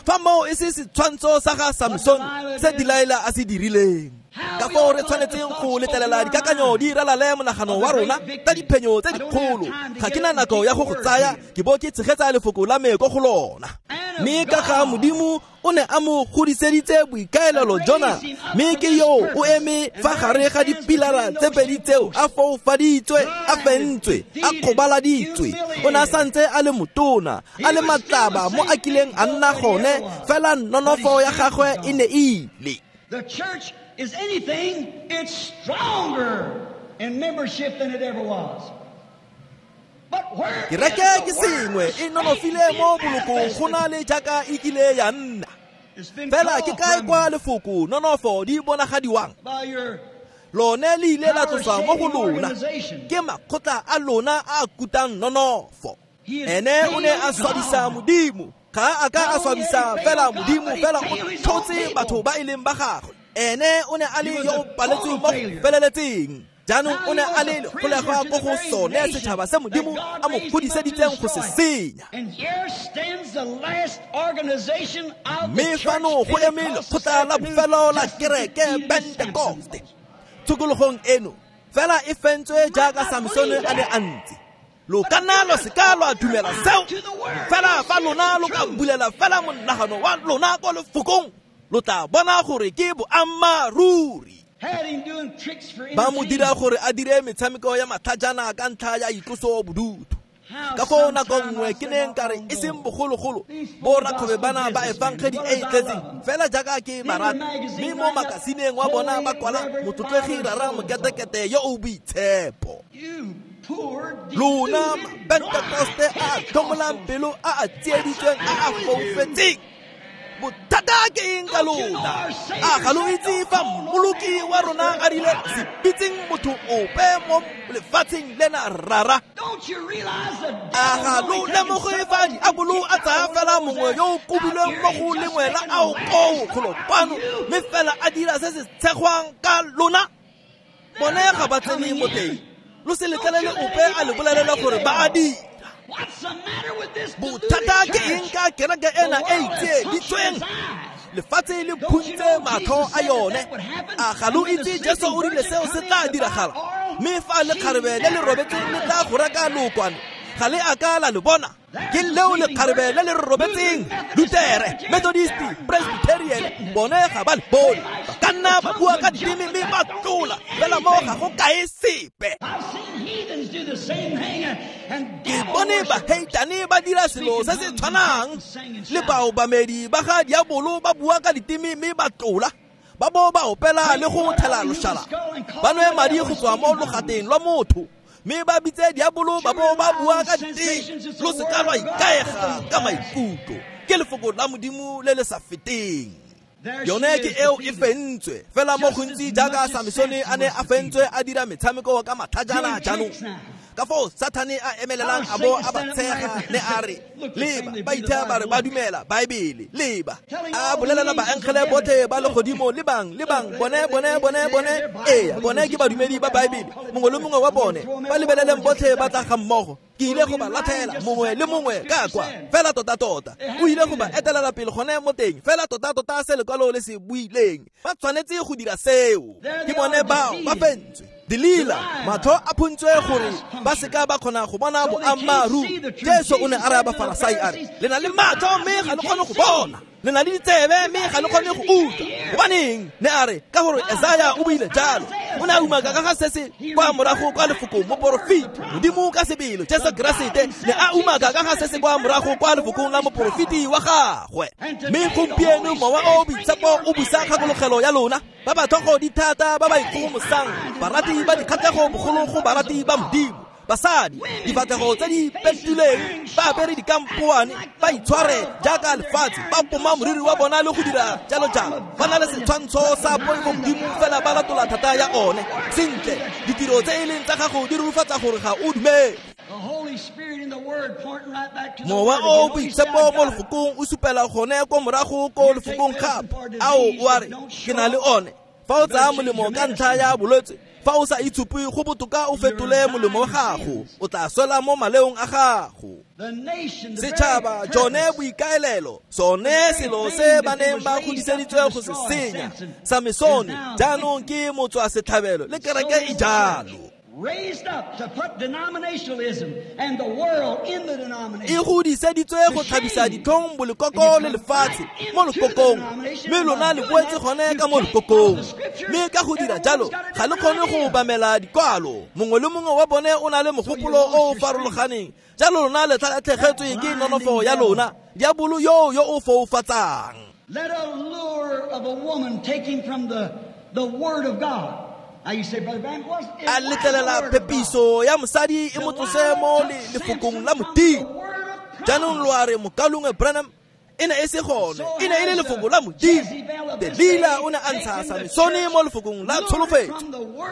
Fa moo e se setshwantsho sa ga Samson se Delilah a se dirileng. Ka foo re tshwanetseng go letlelela dikakanyo di ralale monagano wa rona ka diphenyo tse dikgolo. Ga ke na nako ya go go tsaya, ke bo ke tshegetsa lefoko la me ko go lona. Mme ka ga Modimo o ne a mo godiseditse boikaelelo jona, mme ke yo o eme fa gare ga dipilara tse pedi tseo, a foufaditswe, a fentswe, a kgobaladitswe. O ne a santse a le motona, a le matlaba mo a kileng a nna gone, fela nonofo ya gagwe e ne e ile. The church is anything, it's stronger in membership than it ever was. But where Kereke ke sengwe e nonofile mo bolokong go na le jaaka e kile ya nna. Fela ke kae kwa lefoko nonofo di bonagadiwang? Lone le ile la tloswa mo go lona ke makgotla a lona a kutang nonofo. Ene o ne a swabisa Modimo, ga a ka a swabisa fela Modimo, fela o tlhotse batho ba e leng ba gagwe. Ene o ne a le yo o paletsweng mo go feleletseng. Jaanong o ne a le lekgolegwa ko go sone setšhaba se Modimo a mo godiseditseng go se senya. Mme fano go eme lekgotla la bofelo la kereke Pentekoste tshokologong eno, fela e fentswe jaaka Samsone a ne a ntse. Lo ka nna lo seka lwa dumela seo, fela fa lona lo ka bulela fela monagano wa lona ko lefokong, lo tla bona gore ke boammaaruri. Ba mo dira gore a dire metshameko ya matlhajana ka ntlha ya itloso bodutu. Ka foo nako nngwe ke neng ka re e seng bogologolo bo rakgwebo bana ba efangedi e e tletseng fela jaaka ke ba rata, mme mo makasineng wa bona ba kwala motlotlegi rara moketekete yo o boitshepo. Lona Pentekoste a tlhomolang pelo a a tsieditsweng a a foufetseng, bothata ke eng ka lona? A ga lo itse fa mmoloki wa rona a rile se bitseng motho ope mo lefatsheng lena rara? A ga lo lemoge fa diabolo a tsaya fela mongwe yo o kobilweng mo go lengwe la ao koo golo kwano, mme fela a dira se se tshegwang ka lona? Bone ga ba tsene mo teng. Lo se letlelele ope a le bolelela gore ba a dira. Bothata ke eng ka kereke ena e tsieditsweng? Lefatshe le phuntse matlho a yone. A ga lo itse Jesu o rile seo se tla diragala? Mme fa lekgarebe le le robetseng le tla go reka lookwane, ga le a ka la le bona. Ke leo lekgarebe le le robetseng, Lutere, Methodist, Presbyterian, bone ga ba le bone. Ba ka nna ba bua ka diteme mme ba tlola, fela mo ga go kae sepe. Ke bone baheitane ba dira selo se se tshwanang le baobamedi ba ga diabolo ba bua ka diteme mme ba tlola, ba bo ba opela le go thela loshala, ba nwe madi go tswa mo logateng lwa motho, mme ba bitse diabolo ba bo ba bua ka diteme. Lo seka lwa ikaega ka maikutlo, ke lefoko la Modimo le le sa feteng. Yone ke eo e fentswe fela mo gontsi jaaka Samsone a ne a fentswe a dira metshameko ka matlhajana jaanong. Ka foo Sathane a emelelang a bo a ba tshega ne a re, leba, ba ithaya ba re ba dumela Baebele, leba. A bolelela baengele botlhe ba legodimo, lebang, lebang, bone, bone, bone, bone, ee, bone ke badumedi ba Baebele, mongwe le mongwe wa bone, ba lebeleleng botlhe ba tla ga mmogo. Ke ile go ba latlhela mongwe le mongwe ka kwa, fela tota-tota. O ile go ba etelela pele gone mo teng, fela tota-tota se lekwalo le se buileng. Ba tshwanetse go dira seo. Ke bone bao ba fentswe. Delila, matlho a phuntswe gore ba seka ba kgona go bona boammaaruri. Jesu o ne a raya Bafarasai a re, le na le matlho mme ga le kgone go bona, le na le ditsebe mme ga le kgone go utlwa. Gobaneng? Ne a re, ka gore Esaya o buile jalo. O ne a umaka ka ga se se kwa morago kwa lefokong moporofeti. Modimo ka sebele Jesu Keresete ne a umaka ka ga se se kwa morago kwa lefokong la moporofeti wa gagwe. Mme gompieno Mowa o o Boitshepo o busa kgakologelo ya lona, ba ba tlhogo di thata, ba ba ikgogomosang, barati ba dikgatlhego bogolo go barati ba Modimo. Basadi, difatlhego tse di pentilweng, ba apere dikampoane, ba itshware jaaka lefatshe, ba poma moriri wa bona le go dira jalo jalo. Ba na le setshwantsho sa poifo Modimo fela ba latola thata ya one. Sentle, ditiro tse e leng tsa gago di rurifatsa gore ga o dumele. Mowa o Boitshepo mo lefokong o supela gone ko morago ko lefokong gape. Ao, o a re, ke na le one. Fa o tsaya molemo ka ntlha ya bolwetse, fa o sa itshupe go botoka o fetole molemo wa gago, o tla swela mo maleong a gago. Setšhaba, jone boikaelelo, sone selo se ba neng ba godiseditswe go se senya, Samesone jaanong ke motswa setlhabelo le kereke e jalo. Raised up to put denominationalism and the world in the denomination. E godiseditswe go tlhabisa ditlhong bolekoko le lefatshe mo lekokong, mme lona le boetse gone ka mo lekokong. Mme ka go dira jalo ga le kgone go obamela dikwalo. Mongwe le mongwe wa bone o na le mogopolo o o farologaneng, jalo lona le tlhatlhegetswe ke nonofo ya lona, diabolo yo yo o foufatsang. Let a lure of a woman take him from the word of God. A letlelela phepiso ya mosadi e mo tlose mo lefokong la Modimo. Jaanong lo a re, mokalongwe Branham, e ne e se gone, e ne e le lefoko la Modimo. Delila o ne a ntsha Samesone mo lefokong la tsholofetso,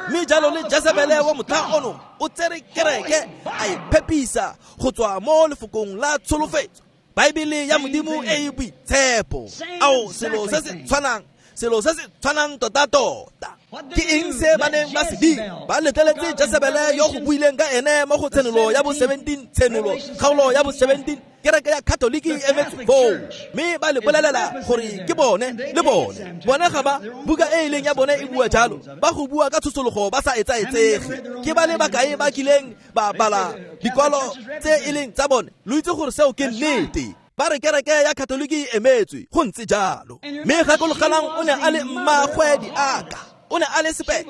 mme jalo le Jezebele wa motlha ono o tsere kereke a e phepisa go tswa mo lefokong la tsholofetso. Baebele ya Modimo e e boitshepo. Ao, selo se se tshwanang, selo se se tshwanang tota-tota. Ke eng se ba neng ba se dira? Ba letleletse Jezebele yo go buileng ka ene mo go tshenolo ya bo 17, tshenolo kgaolo ya bo 17, kereke ya Katoliki e emetse foo, mme ba le bolelela gore ke bone le bone. Bone ga ba buka e e leng ya bone e bua jalo, ba go bua ka tshosologo ba sa etsaetsege. Ke ba le bakae ba kileng ba bala dikwalo tse e leng tsa bone? Lo itse gore seo ke nnete. Ba re kereke ya Katoliki e emetswe, go ntse jalo. Mme gakologelang o ne a le mmaagwe diaka. O ne a le sepepe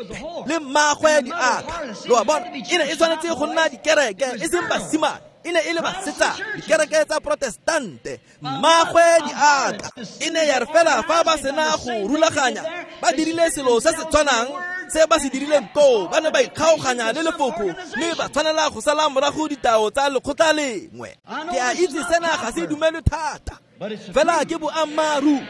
le mmaagwe diaka. Lo a bona, e ne e tshwanetse go nna dikereke, e seng basimane, e ne e le basetsana, dikereke tsa Protestante. Mmaagwe diaka e ne ya re fela fa ba sena go rulaganya, ba dirile selo se se tshwanang se ba se dirileng koo, ba ne ba ikgaoganya le lefoko, mme ba tshwanela go sala morago ditao tsa lekgotla lengwe. Ke a itse sena ga se dumelwe thata, fela ke boammaaruri.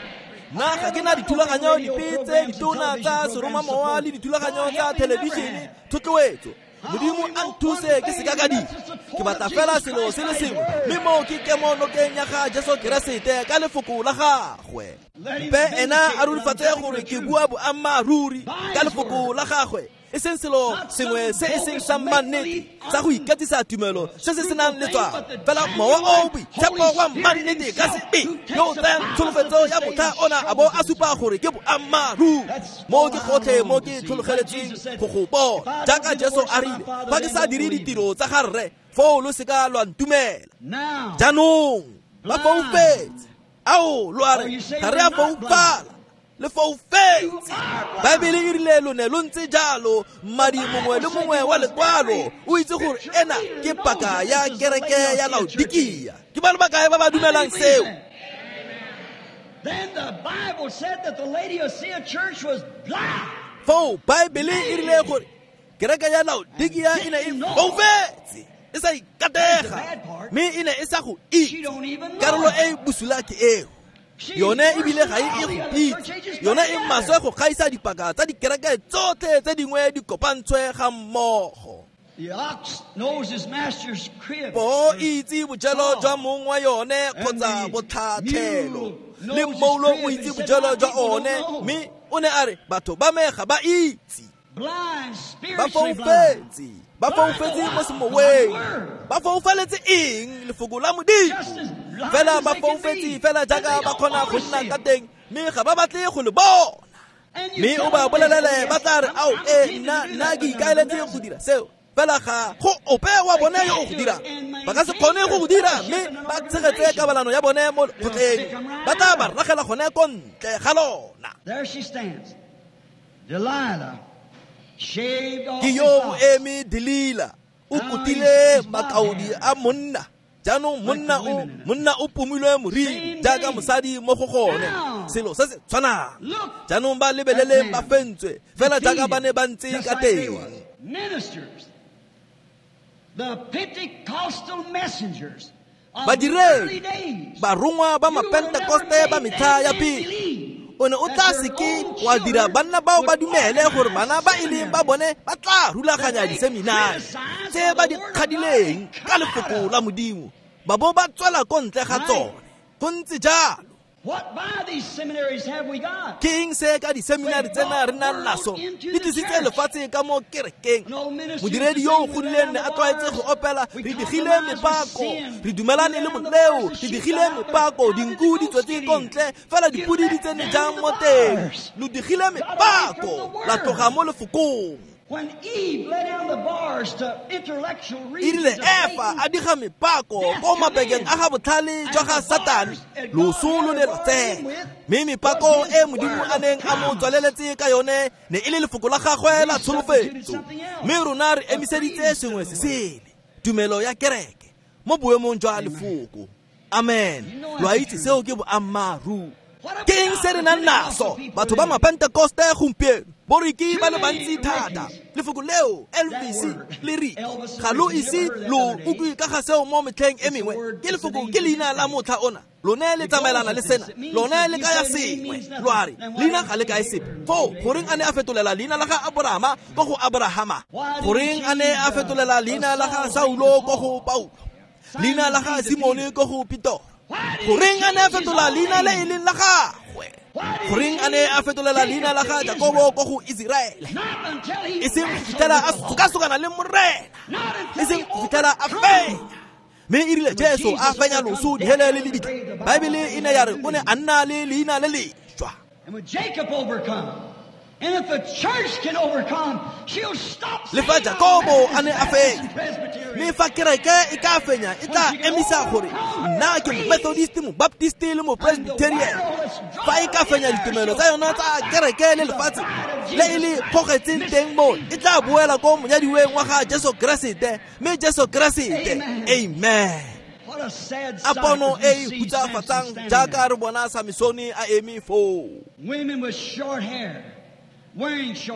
Nna ga ke na dithulaganyo dipe tse ditona tsa seromamowa le dithulaganyo tsa thelebišene thotloetso. Modimo a nthuse ke seka ka dira. Ke batla fela selo se le sengwe, mme moo ke kemo nokeng ya ga Jesu Keresete ka lefoko la gagwe. Mpe ena a rurifatse gore ke bua boammaaruri ka lefoko la gagwe, e seng selo sengwe se e seng sa mannete sa go ikatisa tumelo se se senang letswalo, fela Mowa o o Boitshepo wa mannete ka sebele yo o tsayang tsholofetso ya motlha ona a bo a supa gore ke boammaaruri. Mo ke gotlhe mo ke tlhologeletsweng go go bona, jaaka Jesu a rile, fa ke sa dire ditiro tsa ga Rre, foo lo seka lwa ntumela. Jaanong ba foufetse. Ao, lo a re, ga re a foufala, le foufetse. Baebele e rile lo ne lo ntse jalo. Mmadi mongwe le mongwe wa lekwalo o itse gore ena ke paka ya kereke ya Laodikia. Ke ba le bakae ba ba dumelang seo? Then the Bible said that the Laodicea church was blind. Foo Baebele e rile gore kereke ya Laodikia e ne e foufetse, e sa ikatega, mme e ne e sa go itse. Karolo e bosula ke eo. Yone ebile ga e go pitse, yone e maswe go gaisa dipaka tsa dikereke tsotlhe tse dingwe di kopantshwe ga mmogo. Poo e itse bojelo jwa mong wa yone kgotsa botlhatlhelo, le mmoulo o itse bojelo jwa one, mme o ne a re batho ba me ga ba itse. Ba foufetse, ba foufetse mo semoweng. Ba foufaletse eng? Lefoko la Modimo. Fela ba foufetse fela jaaka ba kgona go nna ka teng, mme ga ba batle go le bona. Mme o ba bolelele, ba tla re, ao, e nna ke ikaeletse go dira seo, fela ga go ope wa bone yo o go dirang. Ba ka se kgone go go dira, mme ba tshegetse kabalano ya bone mo lekgotleng. Ba tla ba ragela gone ko ntle ga lona. There she stands, Delilah. Ke yo o eme Delila, o kutile makaodi a monna. Jaanong monna o pomilwe moriri jaaka mosadi mo go gone. Selo se se tshwanang. Jaanong ba lebeleleng ba fentswe fela jaaka ba ne ba ntse ka teng. Badiredi, barongwa ba mapentekoste ba metlha ya pele, o ne o tla seke wa dira banna bao ba dumele gore bana ba e leng ba bone ba tla rulaganya diseminari tse ba di kgadileng ka lefoko la Modimo, ba bo ba tswela ko ntle ga tsone. Go ntse jalo. Ke eng se ka diseminari tsena re nang naso di tlisitse lefatshe ka mo kerekeng? Modiredi yo o godileng ne a tlwaetse go opela, re digile mepako, re dumelane le moleo, re digile mepako, dinku di tswetse ko ntle, fela dipodi di tsene jang mo teng? Lo digile mepako, la tloga mo lefokong. E rile Efa a diga mepako ko mabekeng a ga botlhale jwa ga Satane, loso lo ne lwa tsena. Mme mepako e Modimo a neng a mo tswaleletse ka yone ne e le lefoko la gagwe la tsholofetso. Mme rona re emiseditse sengwe se sele, tumelo ya kereke, mo boemong jwa lefoko. Amen. Lo a itse seo ke boammaaruri. Ke eng se re nang naso batho ba mapentekoste gompieno? Boriki ba le bantsi thata. Lefoko leo Elvis le re ga lo ise lo utlwe ka ga seo mo metlheng e mengwe. Ke lefoko, ke leina la motlha ona. Lone le tsamaelana le sena, lone le kaya sengwe. Lo a re leina ga le kae sepe. Foo goreng a ne a fetolela leina la ga Aborahama ko go Aborahama? Goreng a ne a fetolela leina la ga Saulo ko go Paulo? Leina la ga Simone ko go Petoro? Goreng a ne a fetola leina le e leng la gagwe? Goreng a ne a fetolela leina la ga Jakobo ko go Iseraele? E seng go fitlhela a sokasokana le Morena, e seng go fitlhela a fenya. Mme e rile Jesu a fenya loso, dihele le lebitla, Baebele e ne ya re o ne a nna le leina le lešwa. Le fa Jakobo a ne a fenya, mme fa kereke e ka fenya, e tla emisa gore nna ke mo-Methodist, mo-Baptist le mo-Presbyterian. Fa e ka fenya ditumelo tsa yona tsa kereke le lefatshe le e le kgogetseng teng mo, e tla boela ko monyadiweng wa ga Jesu Keresete, mme Jesu Keresete. Amen. A pono e e hutsafatsang jaaka re bona Samsone a eme foo.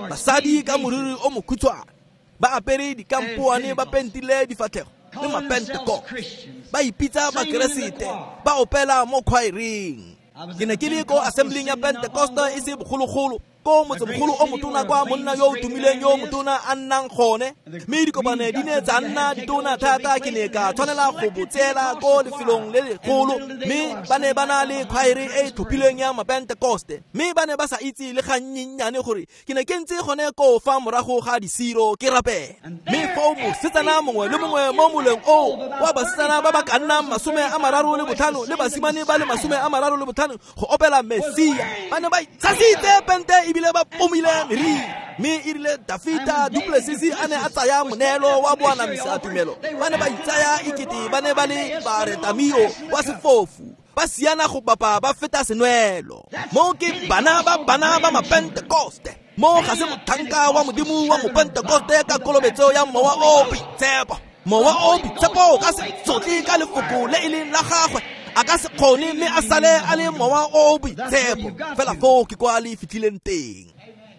Basadi ka moriri o mokhutshwane, ba apere dikampoane, ba pentile difatlhego le mapentekoste, ba ipitsa bakeresete, ba opela mo khwaereng. Ke ne ke le ko assembling ya Pentekoste e se bogologolo, ko motsemogolo o motona kwa monna yo o tumileng yo motona a nnang gone, mme dikopane di ne tsa nna ditona thata. Ke ne ka tshwanela go botseela ko lefelong le legolo, mme ba ne ba na le khwaere e e tlhophilweng ya mapentekoste, mme ba ne ba sa itse le gannyennyane gore ke ne ke ntse gone ko fa morago ga disiro ke rapela. Mme foo mosetsana mongwe le mongwe mo moleng oo wa basetsana ba ba ka nnang 35 le basimane ba le 35 go opela Mesia, ba ne ba itshasitse pente ebile ba pomile meriri. Mme e rile Dafita Duplessis a ne a tsaya moneelo wa boanamisa tumelo, ba ne ba itsaya ekete ba ne ba le baretamio wa sefofu, ba siana go bapa ba feta senwelo. Mo ke bana ba bana ba mapentekoste. Mo ga se motlhanka wa Modimo wa mopentekoste ka kolobetso ya Mowa o Boitshepo. Mowa o Boitshepo ka se tsotle ka lefoko le e leng la gagwe, a ka se kgone mme a sale a le Mowa o Boitshepo. Fela foo ke kwa le fitlhileng teng.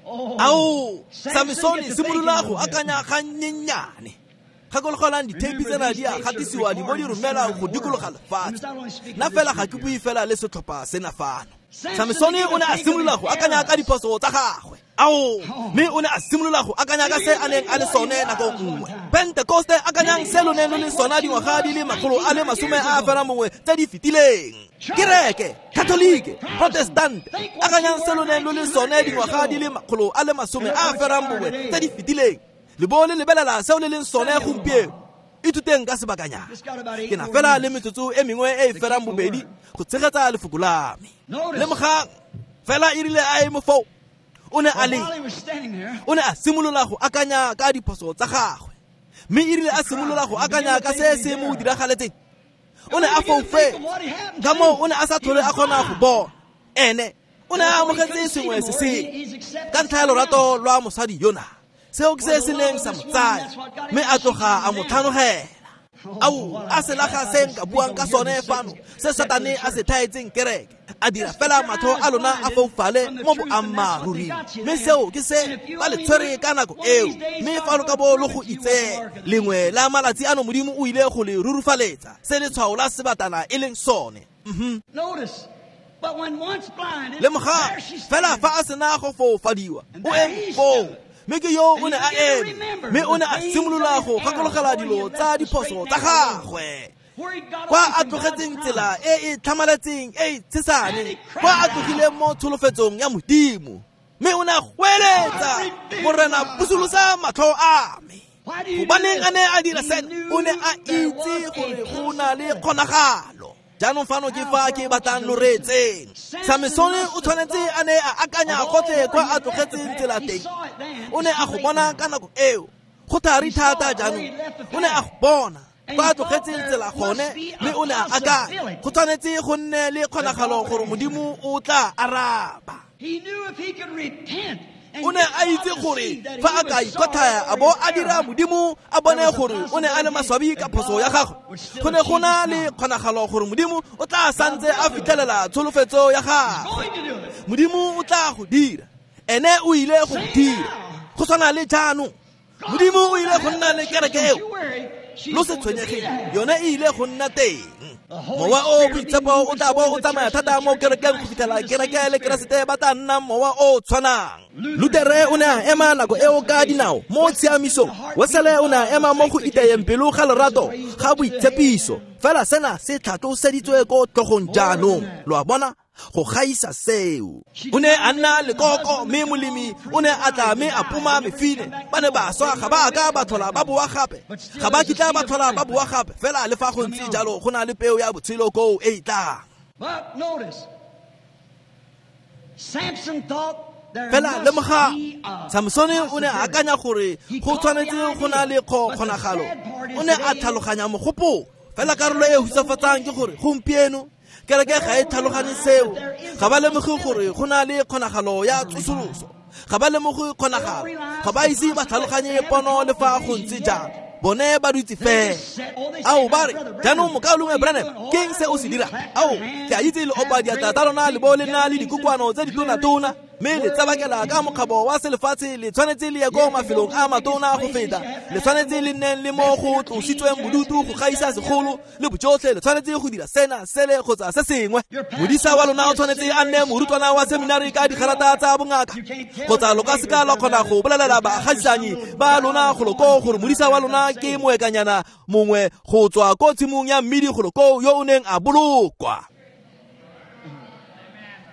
Ao, Samsone simolola go akanya gannyennyane. Gakologelang ditheipi tsena di a gatisiwa di bo di romela go dikologa lefatshe. Nna fela ga ke bue fela le setlhopha sena fano. Samsone o ne a simolola go akanya ka diphoso tsa gagwe. Ao, mme o ne a simolola go akanya ka se a neng a le sone nako nngwe. Pentekoste, akanyang se lo neng lo le sona dingwaga di le 151 tse di fetileng. Kereke, Katolike, Protestant, akanyang se lo neng lo le sone dingwaga di le 151 tse di fetileng. Le bo le lebelela seo le leng sone gompieno. Ithuteng ka sebakanyana. Ke na fela le metsotso e mengwe e e ferang bobedi go tshegetsa lefoko la me. Lemogang, fela e rile a eme foo, o ne a le, o ne a simolola go akanya ka diphoso tsa gagwe. Mme e rile a simolola go akanya ka se se mo diragaletseng, o ne a foufetse. Ka moo o ne a sa tlhole a kgona go bona. Ene o ne a amogetse sengwe se sengwe ka ntlha ya lorato lwa mosadi yona. Seo ke se se neng sa mo tsaya, mme a tloga a mo tlhanogela. Ao, a selaga se nka buang ka sone fano, se Satane a se thaetseng kereke, a dira fela matlho a lona a foufale mo boammaaruring. Mme seo ke se ba le tshwere ka nako eo, mme fa lo ka bo lo go itsee, lengwe la malatsi ano Modimo o ile go le rurufaletsa se letshwao la sebatana e leng sone. Lemoga fela fa a sena go foufadiwa, o eme foo. Mme ke yo o ne a eme, mme o ne a simolola go gakologela dilo tsa diphoso tsa gagwe, kwa a tlogetseng tsela e e tlhamaletseng e e tshesane, kwa a tlogileng mo tsholofetsong ya Modimo. Mme o ne a goeletsa, Morena, busolosa matlho a me. Gobaneng a ne a dira seno? O ne a itse gore go na le kgonagalo. Jaanong fano ke fa ke batlang lo reetseng. Samesone o tshwanetse a ne a akanya gotlhe kwa a tlogetseng tsela teng. O ne a go bona ka nako eo, go thari thata jaanong. O ne a go bona kwa a tlogetseng tsela gone, mme o ne a akanya go tshwanetse go nne le kgonagalo gore Modimo o tla araba. O ne a itse gore fa a ka ikotlhaya a bo a dira Modimo a bone gore o ne a le maswabi ka phoso ya gagwe, go ne go na le kgonagalo gore Modimo o tla santse a fitlhelela tsholofetso ya gagwe. Modimo o tla go dira, ene o ile go dira. Go tshwana le jaanong, Modimo o ile go nna le kereke eo. Lo se tshwenyegeng, yone e ile go nna teng. Mowa o boitshepo o tla bo o tsamaya thata mo kerekeng go fitlhela kereke le Keresete ba tla nna mowa o tshwanang. Lutere o ne a ema nako eo ka dinao mo tshiamisong, Wesele o ne a ema mo go itayeng pelo ga lerato ga boitshepiso. Fela sena se tlhatloseditswe ko tlhogong jaanong, lo a bona, go gaisa seo. O ne a nna lekoko, mme molemi o ne a tla mme a poma mefine. Ba ne ba swa, ga ba ka ba tlhola ba boa gape, ga ba kitla ba tlhola ba boa gape. Fela le fa go ntse jalo, go na le peo ya botshelo koo e e tlang. Fela lemoga, Samsone o ne a akanya gore go tshwanetse go na le kgonagalo. O ne a tlhaloganya mogopolo. Fela karolo e hutsafatsang ke gore gompieno kereke ga e tlhaloganye seo. Ga ba lemoge gore go na le kgonagalo ya tsosoloso. Ga ba lemoge kgonagalo. Ga ba ise ba tlhaloganye pono le fa go ntse jalo. Bone ba dutse fela. Ao, ba re, jaanong mokaulengwe Branham, ke eng se o se dirang? Ao, ke a itse le opa diatla tsa lona le bo le nna le dikokoano tse ditona-tona, mme le tsabakela ka mokgabo wa selefatshe. Le tshwanetse le ye ko mafelong a matona go feta. Le tshwanetse le nneng le mo go tlositsweng bodutu go gaisa segolo le bojotlhe. Le tshwanetse go dira sena, sele kgotsa se sengwe. Modisa wa lona o tshwanetse a nne morutwana wa seminari ka digarata tsa bongaka, kgotsa lo ka seka la kgona go bolelela baagagisanyi ba lona golo koo gore modisa wa lona ke moekanyana mongwe go tswa ko tshimong ya mmidi golo koo yo o neng a bolokwa.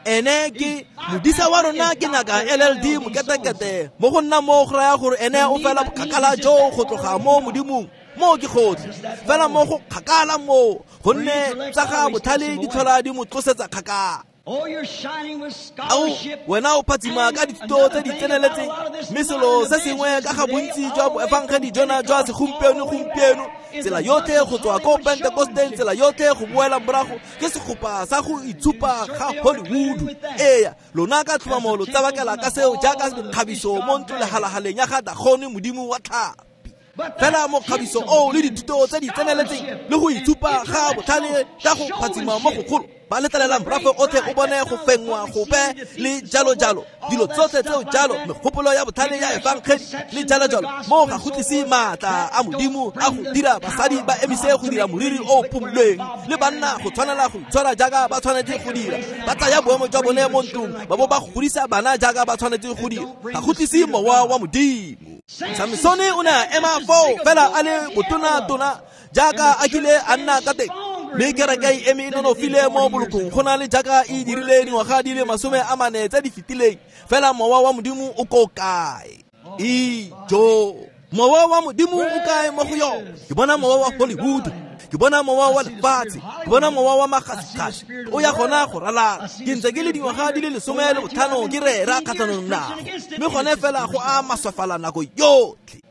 Ene ke modisa wa rona ke ngaka LLD moketekete. Mo go nna mo go raya gore ene o fela bokgakala jo go tloga mo Modimong. Mo ke gotlhe fela mo go kgakala mo, gonne tsa ga botlhale di tlhola di mo tlosetsa kgakala. Ao, wena o phatsima ka dithuto tse di tseneletseng, mme selo se sengwe ka ga bontsi jwa boefangedi jona jwa segompieno gompieno, tsela yotlhe go tswa ko Pentekosteng, tsela yotlhe go boela morago, ke segopa sa go itshupa ga Hollywood. Eya, lona ka tlhomamo lo tsabakela ka seo jaaka mekgabiso mo ntlolehalahaleng ya ga Dagone modimo wa tlhapi. Fela mokgabiso oo le dithuto tse di tseneletseng le go itshupa ga botlhale ka go phatsima mo gogolo, ba letlelela morafe otlhe o bone go fenngwa gope le jalo jalo, dilo tsotlhe tseo jalo, megopolo ya botlhale ya efangedi le jalo jalo, mo ga go tlise maatla a Modimo a go dira basadi ba emise go dira moriri o phumulweng, le banna go tshwanela go itshwara jaaka ba tshwanetse go dira, ba tsaya boemo jwa bone mo ntlong, ba bo ba godisa bana jaaka ba tshwanetse go dira. Ga go tlise mowa wa Modimo. Samsone o ne a ema foo fela a le botona-tona jaaka a kile a nna ka teng, mme kereke e eme e nonofile mo bolokong go na le jaaka e dirile dingwaga di le 40 tse di fetileng. Fela mowa wa Modimo o ko kae? Ijo, mowa wa Modimo o kae mo go yone? Ke bona mowa wa Hollywood, ke bona mowa wa lefatshe, ke bona mowa wa magasigasi o ya gona go ralala. Ke ntse ke le dingwaga di le 15 ke rera kgatlhanong nago, mme gone fela go a maswafala nako yotlhe.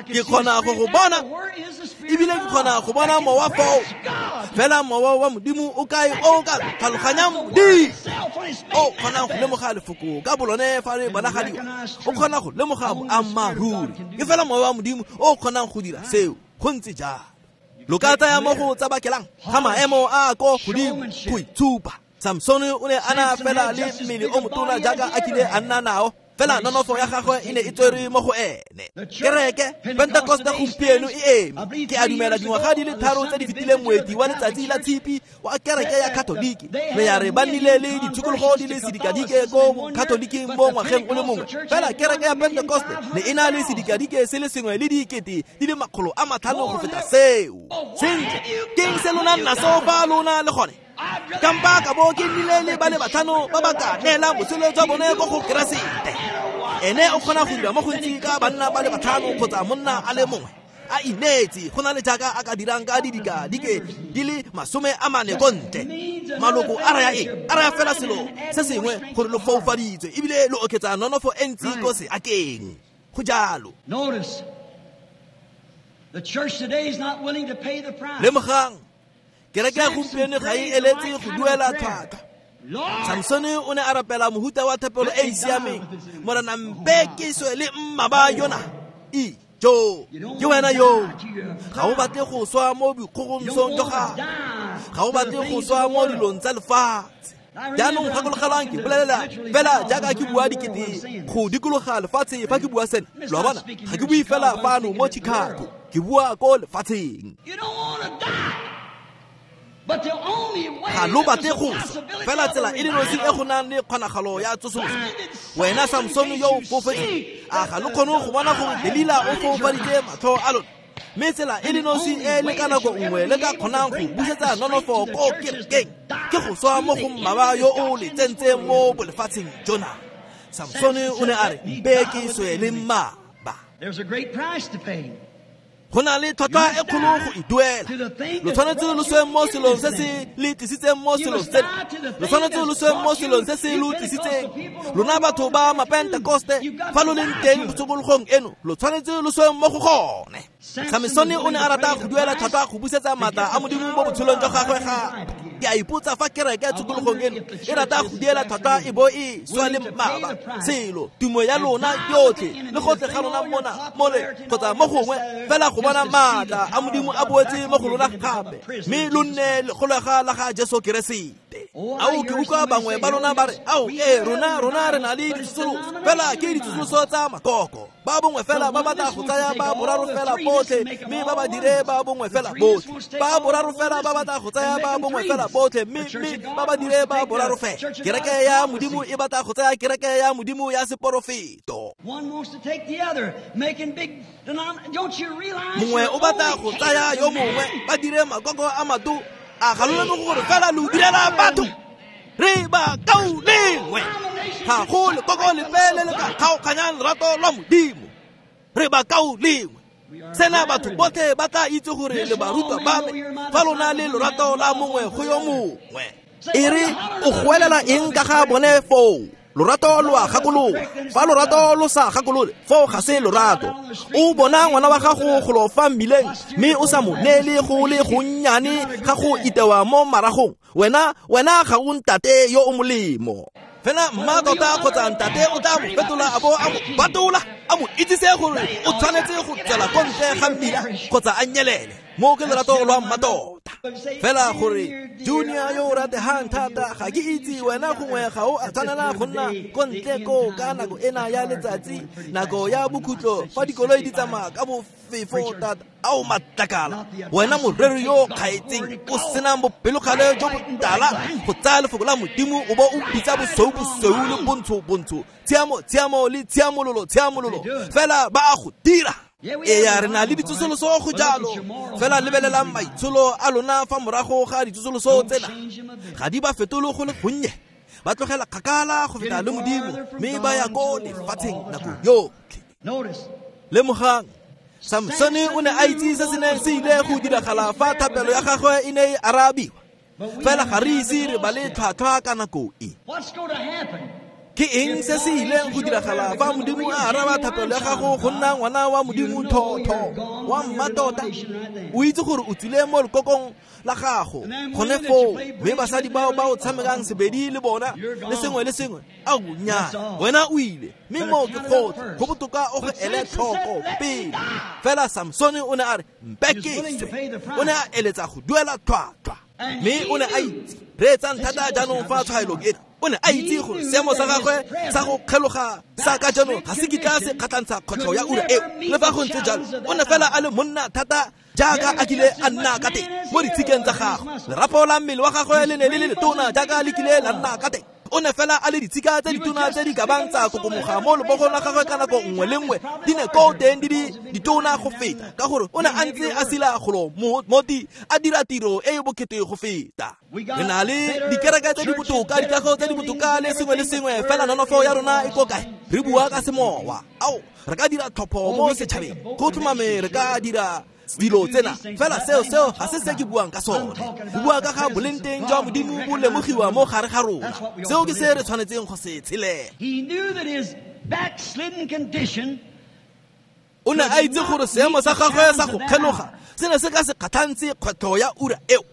Ke kgona go go bona, ebile ke kgona go bona mowa foo. Fela mowa wa Modimo o kae o ka tlhaloganyang Modimo? O kgonang go lemoga lefoko ka bolone fa re bonagadiwa, o kgona go lemoga boammaaruri. Ke fela mowa wa Modimo o kgonang go dira seo. Go ntse jalo. Lo ka tsaya mo go tsabakelang ga maemo a ko godimo go itshupa. Samsone o ne a na fela le mmele o motona jaaka a kile a nna nao, fela nonofo ya gagwe e ne e tswerwe mo go ene. Kereke Pentecoste gompieno e eme. Ke a dumela dingwaga di le 3 tse di fetileng moeti wa letsatsi la tshipi wa kereke ya Katoliki re ya re ba nnile le ditshokologo di le sedikadike ko Katoliking mo ngwageng o le mongwe. Fela kereke ya Pentecoste ne e na le sedikadike se le sengwe le dikete di le 500 go feta seo. Sentle, ke eng se lona naso fa lona le gone? Kampa ka bo ke nnile le ba le 5 ba ba ka neelang botshelo jwa bone ko go Keresete. Ene o kgona go dira mo gontsi ka banna ba le 5 kgotsa monna a le mongwe a ineetse go na le jaaka a ka dirang ka didikadike di le 40 ko ntle. Maloko a raya eng? A raya fela selo se sengwe gore lo foufaditswe ebile lo oketsa nonofo e ntsi ko seakeng. Go jalo. Lemogang, kereke ya gompieno ga e eletse go duela tlhwatlhwa. Samsone o ne a rapela mohuta wa thapelo e e siameng. Morena mpe ke swe le mmaba yona. Ijo, ke wena yo. Ga o batle go swa mo boikgogomosong jwa gago. Ga o batle go swa mo dilong tsa lefatshe. Jaanong gakologelwang ke bolelela fela jaaka ke bua dikete go dikologa lefatshe fa ke bua sena. Lo a bona, ga ke bue fela fano mo Chicago, ke bua ko lefatsheng. Ga lo batle go swa, fela tsela e le nosi e go nang le kgonagalo ya tsosoloso. Wena Samsone yo o foufetseng, a ga lo kgone go bona gore Delila o foufaditse matlho a lona? Mme tsela e le nosi e le ka nako nngwe le ka kgonang go busetsa nonofo ko kerekeng ke go swa mo go mmaba yo o le tsentseng mo bolefatsheng jona. Samsone o ne a re, mpe ke swe le mmaba. Go na le tlhwatlhwa e kgolo go e duela. Lo tshwanetse lo swe mo selong se se le tlisitseng mo selong sena. Lo tshwanetse lo swe mo selong se se lo tlisitseng. Lona batho ba Mapentekoste, fa lo leng teng tshokologong eno, lo tshwanetse lo swe mo go gone. Samsone o ne a rata go duela tlhwatlhwa go busetsa maatla a Modimo mo botshelong jwa gagwe gape. Ke a ipotsa fa kereke tshokologong eno e rata go duela tlhwatlhwa e bo e swa le mmaba. Selo, tumo ya lona yotlhe le gotlhe ga lona mona mole kgotsa mo gongwe fela go bona maatla a Modimo a boetse mo go lona gape, mme lo nne lekgolega la ga Jesu Keresete. Ao ke utlwa bangwe ba lona ba re, ao ee, rona re na le ditsosoloso, fela ke ditsosoloso tsa makoko. Ba bongwe fela ba batla go tsaya ba boraro fela botlhe, mme ba ba dire ba bongwe fela botlhe. Ba boraro fela ba batla go tsaya ba bongwe fela botlhe, mme ba ba dire ba boraro fela. Kereke ya Modimo e batla go tsaya kereke ya Modimo ya seporofeto. Mongwe o batla go tsaya yo mongwe, ba dire makoko a mato. A ga lo lemoge gore fela lo direla batho? Re ba kaulengwe. Ga go lekoko lepe le le ka kgaoganyang lerato lwa Modimo. Re ba kaulengwe. Sena batho botlhe ba tla itse gore le barutwa ba me fa lona le lorato la mongwe go yo mongwe. E re o goelela eng ka ga bone foo? Lorato lo a gakolola. Fa lorato lo sa gakolole, foo ga se lorato. O bona ngwana wa gago go lo fa mmileng, mme o sa mo neele go le gonnyane ga go itewa mo maragong. Wena ga o ntate yo o molemo. Fela mma tota kgotsa ntate o tla mo fetola a bo a mo batola, a mo itsise gore o tshwanetse go tswela ko ntle ga mmila kgotsa a nyelele. Mo ke lerato lwa mmatota. Fela gore Junior yo o rategang thata, ga ke itse wena gongwe ga o a tshwanela go nna ko ntle ko ka nako ena ya letsatsi, nako ya bokhutlo fa dikoloi di tsamaya ka bofefo thata. Ao matlakala, wena moreri yo kgaetseng o senang bopelokgale jo botala go tsaya lefoko la Modimo o bo o bitsa bosweu bosweu le bontsho bontsho, tshiamo tshiamo le tshiamololo tshiamololo, fela ba a go dira. Ee, re na le ditsosoloso go jalo, fela lebelelang maitsholo a lona fa morago ga ditsosoloso tsena. Ga di ba fetole go le gonnye, ba tlogela kgakala go feta le Modimo, mme ba ya ko lefatsheng nako yotlhe. Lemogang, Samsone o ne a itse se se neng se ile go diragala fa thapelo ya gagwe e ne e arabiwa. Fela ga re ise re bale tlhwatlhwa ka nako e. Ke eng se se ileng go diragala fa Modimo a araba thapelo ya gago go nna ngwana wa Modimo thotho wa mmatota? O itse gore o tswile mo lekokong la gago gone foo, mme basadi bao ba o tshamekang sebedi le bona le sengwe le sengwe, ao nnyaa, wena o ile, mme moo ke kgotlhe, go botoka o go ele tlhoko pele. Fela Samsone o ne a re mpe ke swe, o ne a eletsa go duela tlhwatlhwa, mme o ne a itse. Reetsang thata jaanong fa tshwaelong ena. O ne a itse gore seemo sa gagwe sa go kgeloga sa ka jaanong ga se kitla se kgatlhantsha kgwetlho ya ura eo. Le fa go ntse jalo, o ne fela a le monna thata jaaka a kile a nna ka teng mo ditshikeng tsa gagwe. Lerapo la mmele wa gagwe le ne le le letona jaaka le kile la nna ka teng. O ne fela a le ditshika tse ditona tse di ka bang tsa kokomoga mo lebogong la gagwe ka nako nngwe le nngwe, di ne ko teng di di ditona go feta, ka gore o ne a ntse a sila golo moti a dira tiro e e bokete go feta. Re na le dikereke tse di botoka, dikago tse di botoka le sengwe le sengwe, fela nonofo ya rona e ko kae? Re bua ka semowa. Ao, re ka dira tlhopho mo setšhabeng, go tlhomame re ka dira dilo tsena, fela seo ga se se ke buang ka sone. Go bua ka ga boleng teng jwa Modimo bo lemogiwa mo gare ga rona. Seo ke se re tshwanetseng go se tshelela. O ne a itse gore seemo sa gagwe sa go kgeloga se ne se ka se kgatlhantse kgwetlho ya ura eo.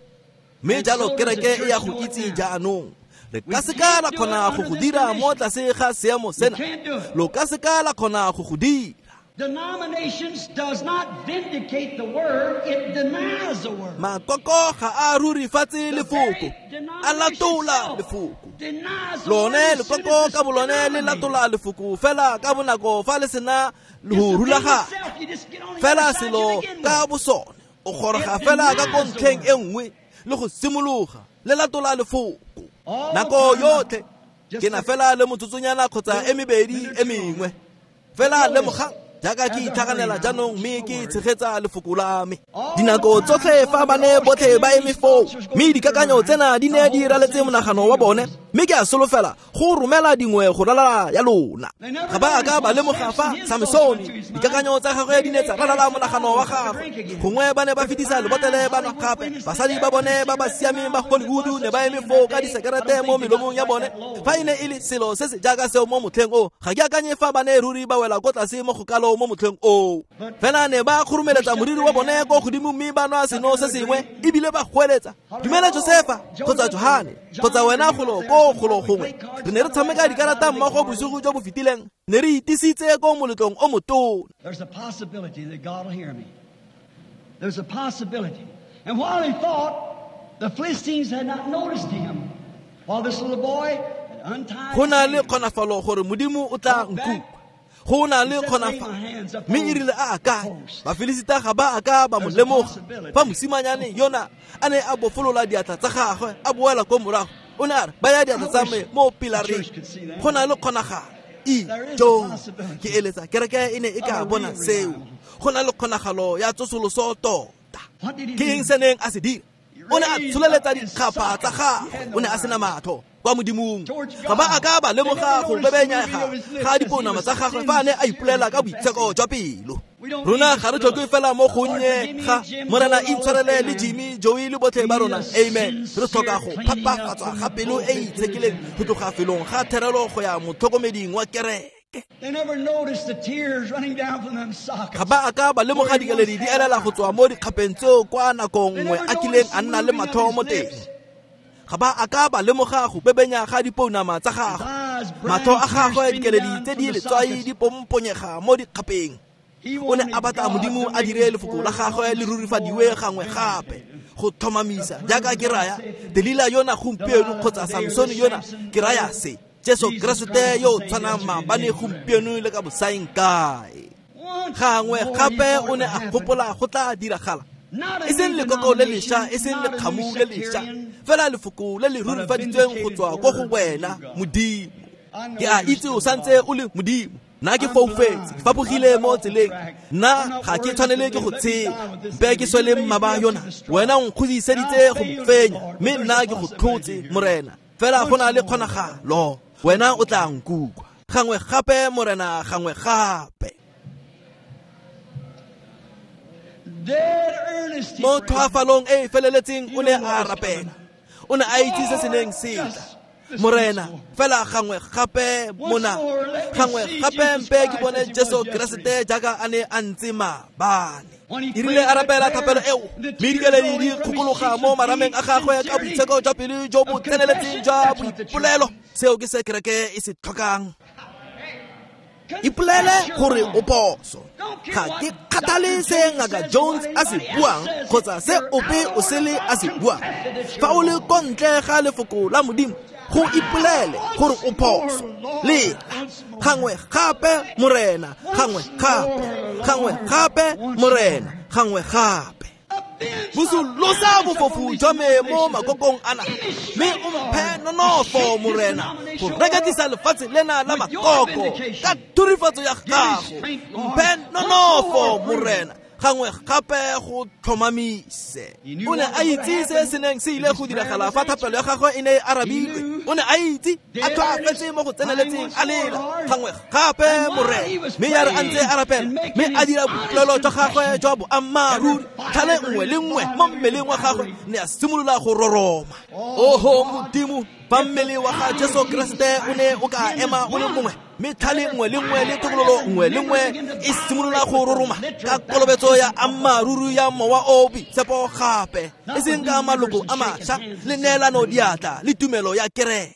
Mme jalo kereke e ya go itse jaanong. Re ka se ka la kgona go go dira mo tlase ga seemo sena. Lo ka se ka la kgona go go dira. Denominations does not vindicate the word, it denies the word. Makoko ga a rurifatse lefoko, a latola lefoko. Lone lekoko ka bolone le latola lefoko fela ka bonako fa le sena go rulaganya. Fela selo ka bosone, o goroga fela ka ko ntlheng e nngwe le go simologa le latola lefoko. Nako yotlhe ke na fela le motsotsonyana kgotsa e mebedi e mengwe. Fela lemogang jaaka ke itlhaganela jaanong mme ke tshegetsa lefoko la me. Dinako tsotlhe fa ba ne botlhe ba eme foo, mme dikakanyo tsena di ne di raletse monagano wa bone, mme ke a solofela go romela dingwe go ralala ya lona. Ga ba a ka ba lemoga fa Samsone dikakanyo tsa gagwe di ne tsa ralala monagano wa gagwe. Gongwe ba ne ba fetisa lebotele ba nwa gape. Basadi ba bone ba ba siameng ba Hollywood ne ba eme foo ka disekerete mo melomong ya bone. Fa e ne e le selo se se jaaka seo mo motlheng o, ga ke akanye fa ba ne ruri ba wela ko tlase mo go kalo mo motlheng o. Fela ne ba khurumeletsa moriri wa bone ko godimo mme ba nwa seno se sengwe, ebile ba goeletsa, dumela Josefa kgotsa Johane kgotsa wena golo ko golo gongwe. Re ne re tshameka dikarata mmogo bosigo jo bo fetileng, ne re itisitse ko moletlong o motona. There's a possibility that God will hear me. There's a possibility. And while he thought, the Philistines had not noticed him. While this little boy had untied Go na le kgonafalo gore Modimo o tla nkutlwa. Go na le kgonafalo. Mme e rile a akanya, Bafilisita ga ba a ka ba mo lemoga. Fa mosimanyane yona a ne a bofolola diatla tsa gagwe a boela ko morago, o ne a re, baya diatla tsa me mo pilareng. Go na le kgonagalo. Ijo, ke eletsa kereke e ne e ka bona seo. Go na le kgonagalo ya tsosoloso tota. Ke eng se neng a se dira? O ne a tsholeletsa dikgapha tsa gagwe, o ne a sena matho kwa Modimong. Ga ba a ka ba lemoga go bebenyega ga dipounama tsa gagwe fa a ne a ipolela ka boitsheko jwa pelo. Rona ga re tlhoke fela mo gonnye ga Morena intshwarele le Jimmy, Joey le botlhe ba rona. Amen. Re tlhoka go phapafatswa ga pelo e e itshekileng go tloga felong ga therelo go ya motlhokomeding wa kereke. They never noticed the tears running down from them sockets. Ga ba a ka ba lemoga dikeledi di elela go tswa mo dikgapeng tseo kwa nakong nngwe a kileng a nna le matho mo teng. Ga ba a ka ba lemoga go bebenya ga dipounama tsa gagwe. Matho a gagwe dikeledi tse di letswai di pomponyega mo dikgapeng. O ne a batla Modimo a dire lefoko la gagwe le rurifadiwe gangwe gape go tlhomamisa jaaka ke raya Delila yona gompieno kgotsa Samsone yona, ke raya se Jesu Keresete yo o tshwanang maabane gompieno le ka bosaeng kae. Gangwe gape o ne a gopola go tla diragala, e seng lekoko le lešwa, e seng lekgamu le lešwa, fela lefoko le le rurifaditsweng go tswa ko go wena Modimo. Ke a itse o santse o le Modimo. Nna ke foufetse, ke fapogile mo tseleng. Nna ga ke tshwanele ke go tshela. Mpe ke swele mmaba yona. Wena o nkgodiseditse go mo fenya, mme nna ke go tlhotse, Morena. Fela go na le kgonagalo, wena o tla nkutlwa. Gangwe gape, Morena, gangwe gape. Mo tlhoafalong e e feleletseng o ne a rapela. O ne a itse se se neng se tla. Morena fela gangwe gape mona gangwe gape mpe ke bone Jesu Keresete jaaka a ne a ntse maabane. E rile a rapela thapelo eo, mme dikeledi di kgokologa mo marameng a gagwe ka boitsheko jwa pelo jo bo tseneletseng jwa boipolelo. Seo ke se kereke e se tlhokang. Ipolele gore o phoso. Ga ke kgathale se Ngaka Jones a se buang kgotsa se ope o sele a se buang. Fa o le ko ntle ga lefoko la Modimo, go ipolele gore o phoso. Lela gangwe gape, Morena, gangwe gape, gangwe gape, Morena, gangwe gape. Bosolosa bofofu jwa me mo makokong ana, mme o mphe nonofo, Morena, go reketlisa lefatshe lena la makoko ka thurifatso ya gago. Mphe nonofo, Morena, gangwe gape go tlhomamise. O ne a itse se se neng se ile go diragala fa thapelo ya gagwe e ne e arabilwe. O ne a itse, a tlhoafetse mo go tseneletseng, a lela gangwe gape, Morena. Mme ya re a ntse a rapela, mme a dira boipolelo jwa gagwe jwa boammaaruri, tlhale nngwe le nngwe mo mmeleng wa gagwe ne a simolola go roroma. Oho Modimo, fa mmele wa ga Jesu Keresete o ne o ka ema o le mongwe, mme tlhale nngwe le nngwe le tokololo nngwe le nngwe e simolola go roroma ka kolobetso ya ammaaruri ya Mowa o Boitshepo gape, e seng ka maloko a mašwa le neelano diatla le tumelo ya kereke.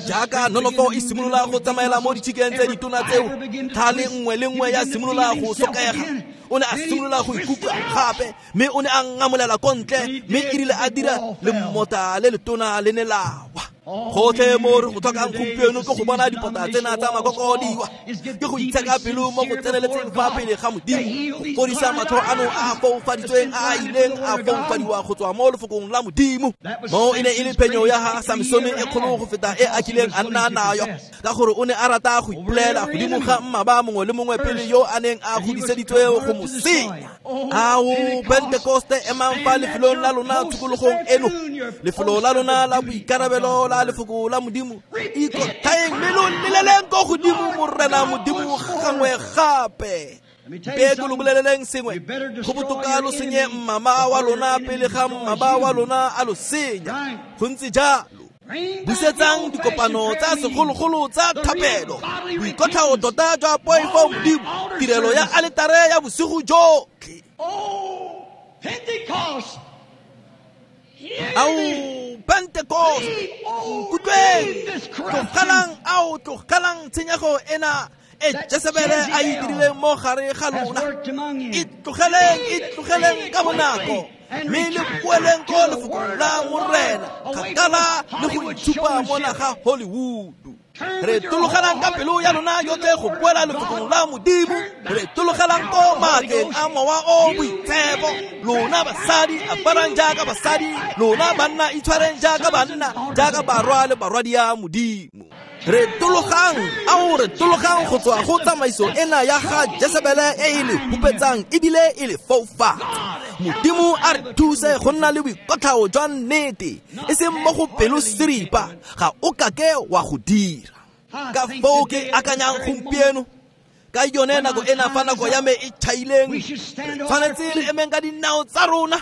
Jaaka nonofo e simolola go tsamaela mo ditšhikeng tse ditona tseo, tlhale nngwe le nngwe ya simolola go sokega. O ne a simolola go ikutlwa gape, mme o ne a ngamolela ko ntle, mme e rile a dira lemota le letona le ne la wa. Gotlhe mo re go tlhokang gompieno ke go bona dipota tsena tsa makoko di wa, ke go itsheka pelo mo go tseneletseng fa pele ga Modimo, go fodisa matlho ano a a foufaditsweng a a ileng a foufadiwa go tswa mo lefokong la Modimo. Mo e ne e le phenyo ya ga Samsone e kgolo go feta e a kileng a nna nayo, ka gore o ne a rata go ipolela godimo ga mmaba mongwe le mongwe pele yo a neng a godiseditswe go mo senya. Ao Pentekoste, emang fa lefelong la lona tshokologong eno, lefelo la lona la boikarabelo la lefoko la Modimo. Ikotlhaeng mme lo leleleng ko godimo Morena Modimo gangwe gape. Mpe ke lo boleleleng sengwe, go botoka lo senye mmama wa lona pele ga mmaba wa lona a lo senya. Go ntse jalo. Busetsang dikopano tsa segologolo tsa thapelo, boikotlhao tota jwa poifo Modimo, tirelo ya aletare ya bosigo jotlhe. Ao Pentekoste, nkutlweng, tlogelang, ao tlogelang tshenyego ena e Jesebele a e dirileng mo gare ga lona. E tlogeleng ka bonako, mme le boeleng ko lefokong la Morena, kgakala le go itshupa mona ga Hollywood. Re tologelang ka pelo ya lona yotlhe go boela lefokong la Modimo. Re tologelang ko maatleng a Mowa o Boitshepo. Lona basadi aparang jaaka basadi, lona banna itshwareng jaaka banna, jaaka barwa le barwadia Modimo. Re tologang, ao re tologang go tswa go tsamaiso ena ya ga Jesebele e e le hupetsang ebile e le foufatsa. Modimo a re thuse go nna le boikotlhao jwa nnete, e seng mo go pelo seripa, ga o kake wa go dira. Ka foo ke akanyang gompieno, ka yone nako ena fa nako ya me e tšhaileng, tshwanetse re emeng ka dinao tsa rona,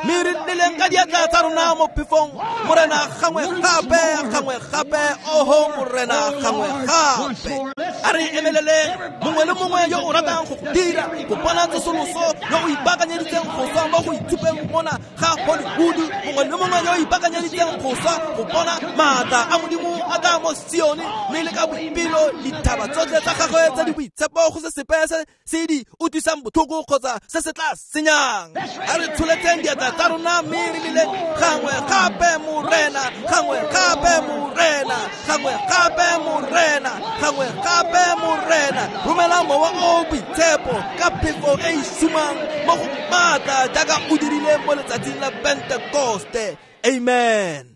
mme re nneleng ka diatla tsa rona mo phefong. Morena gangwe gape, gangwe gape, oho Morena gangwe gape. A re emeleleng, mongwe le mongwe yo o ratang go dira, go bona tsosoloso, yo o ipaakanyeditseng go swa mo go itshupeng mona ga Hollywood, mongwe le mongwe yo o ipaakanyeditseng go swa go bona maatla a Modimo a tla mo Sione, mme le ka boipelo dithaba tsotlhe tsa gagwe tse di boitshepo go se sepe se se di utlwisang botlhoko kgotsa se se tla senyang. A re tsholetseng diatla tsa rona mme re leleng gangwe gape, Morena, gangwe gape, Morena, gangwe gape, Morena, gangwe gape, Morena. Romela Mowa o Boitshepo ka phefo e e sumang mo go maatla jaaka o dirile mo letsatsing la Pentekoste. Amen.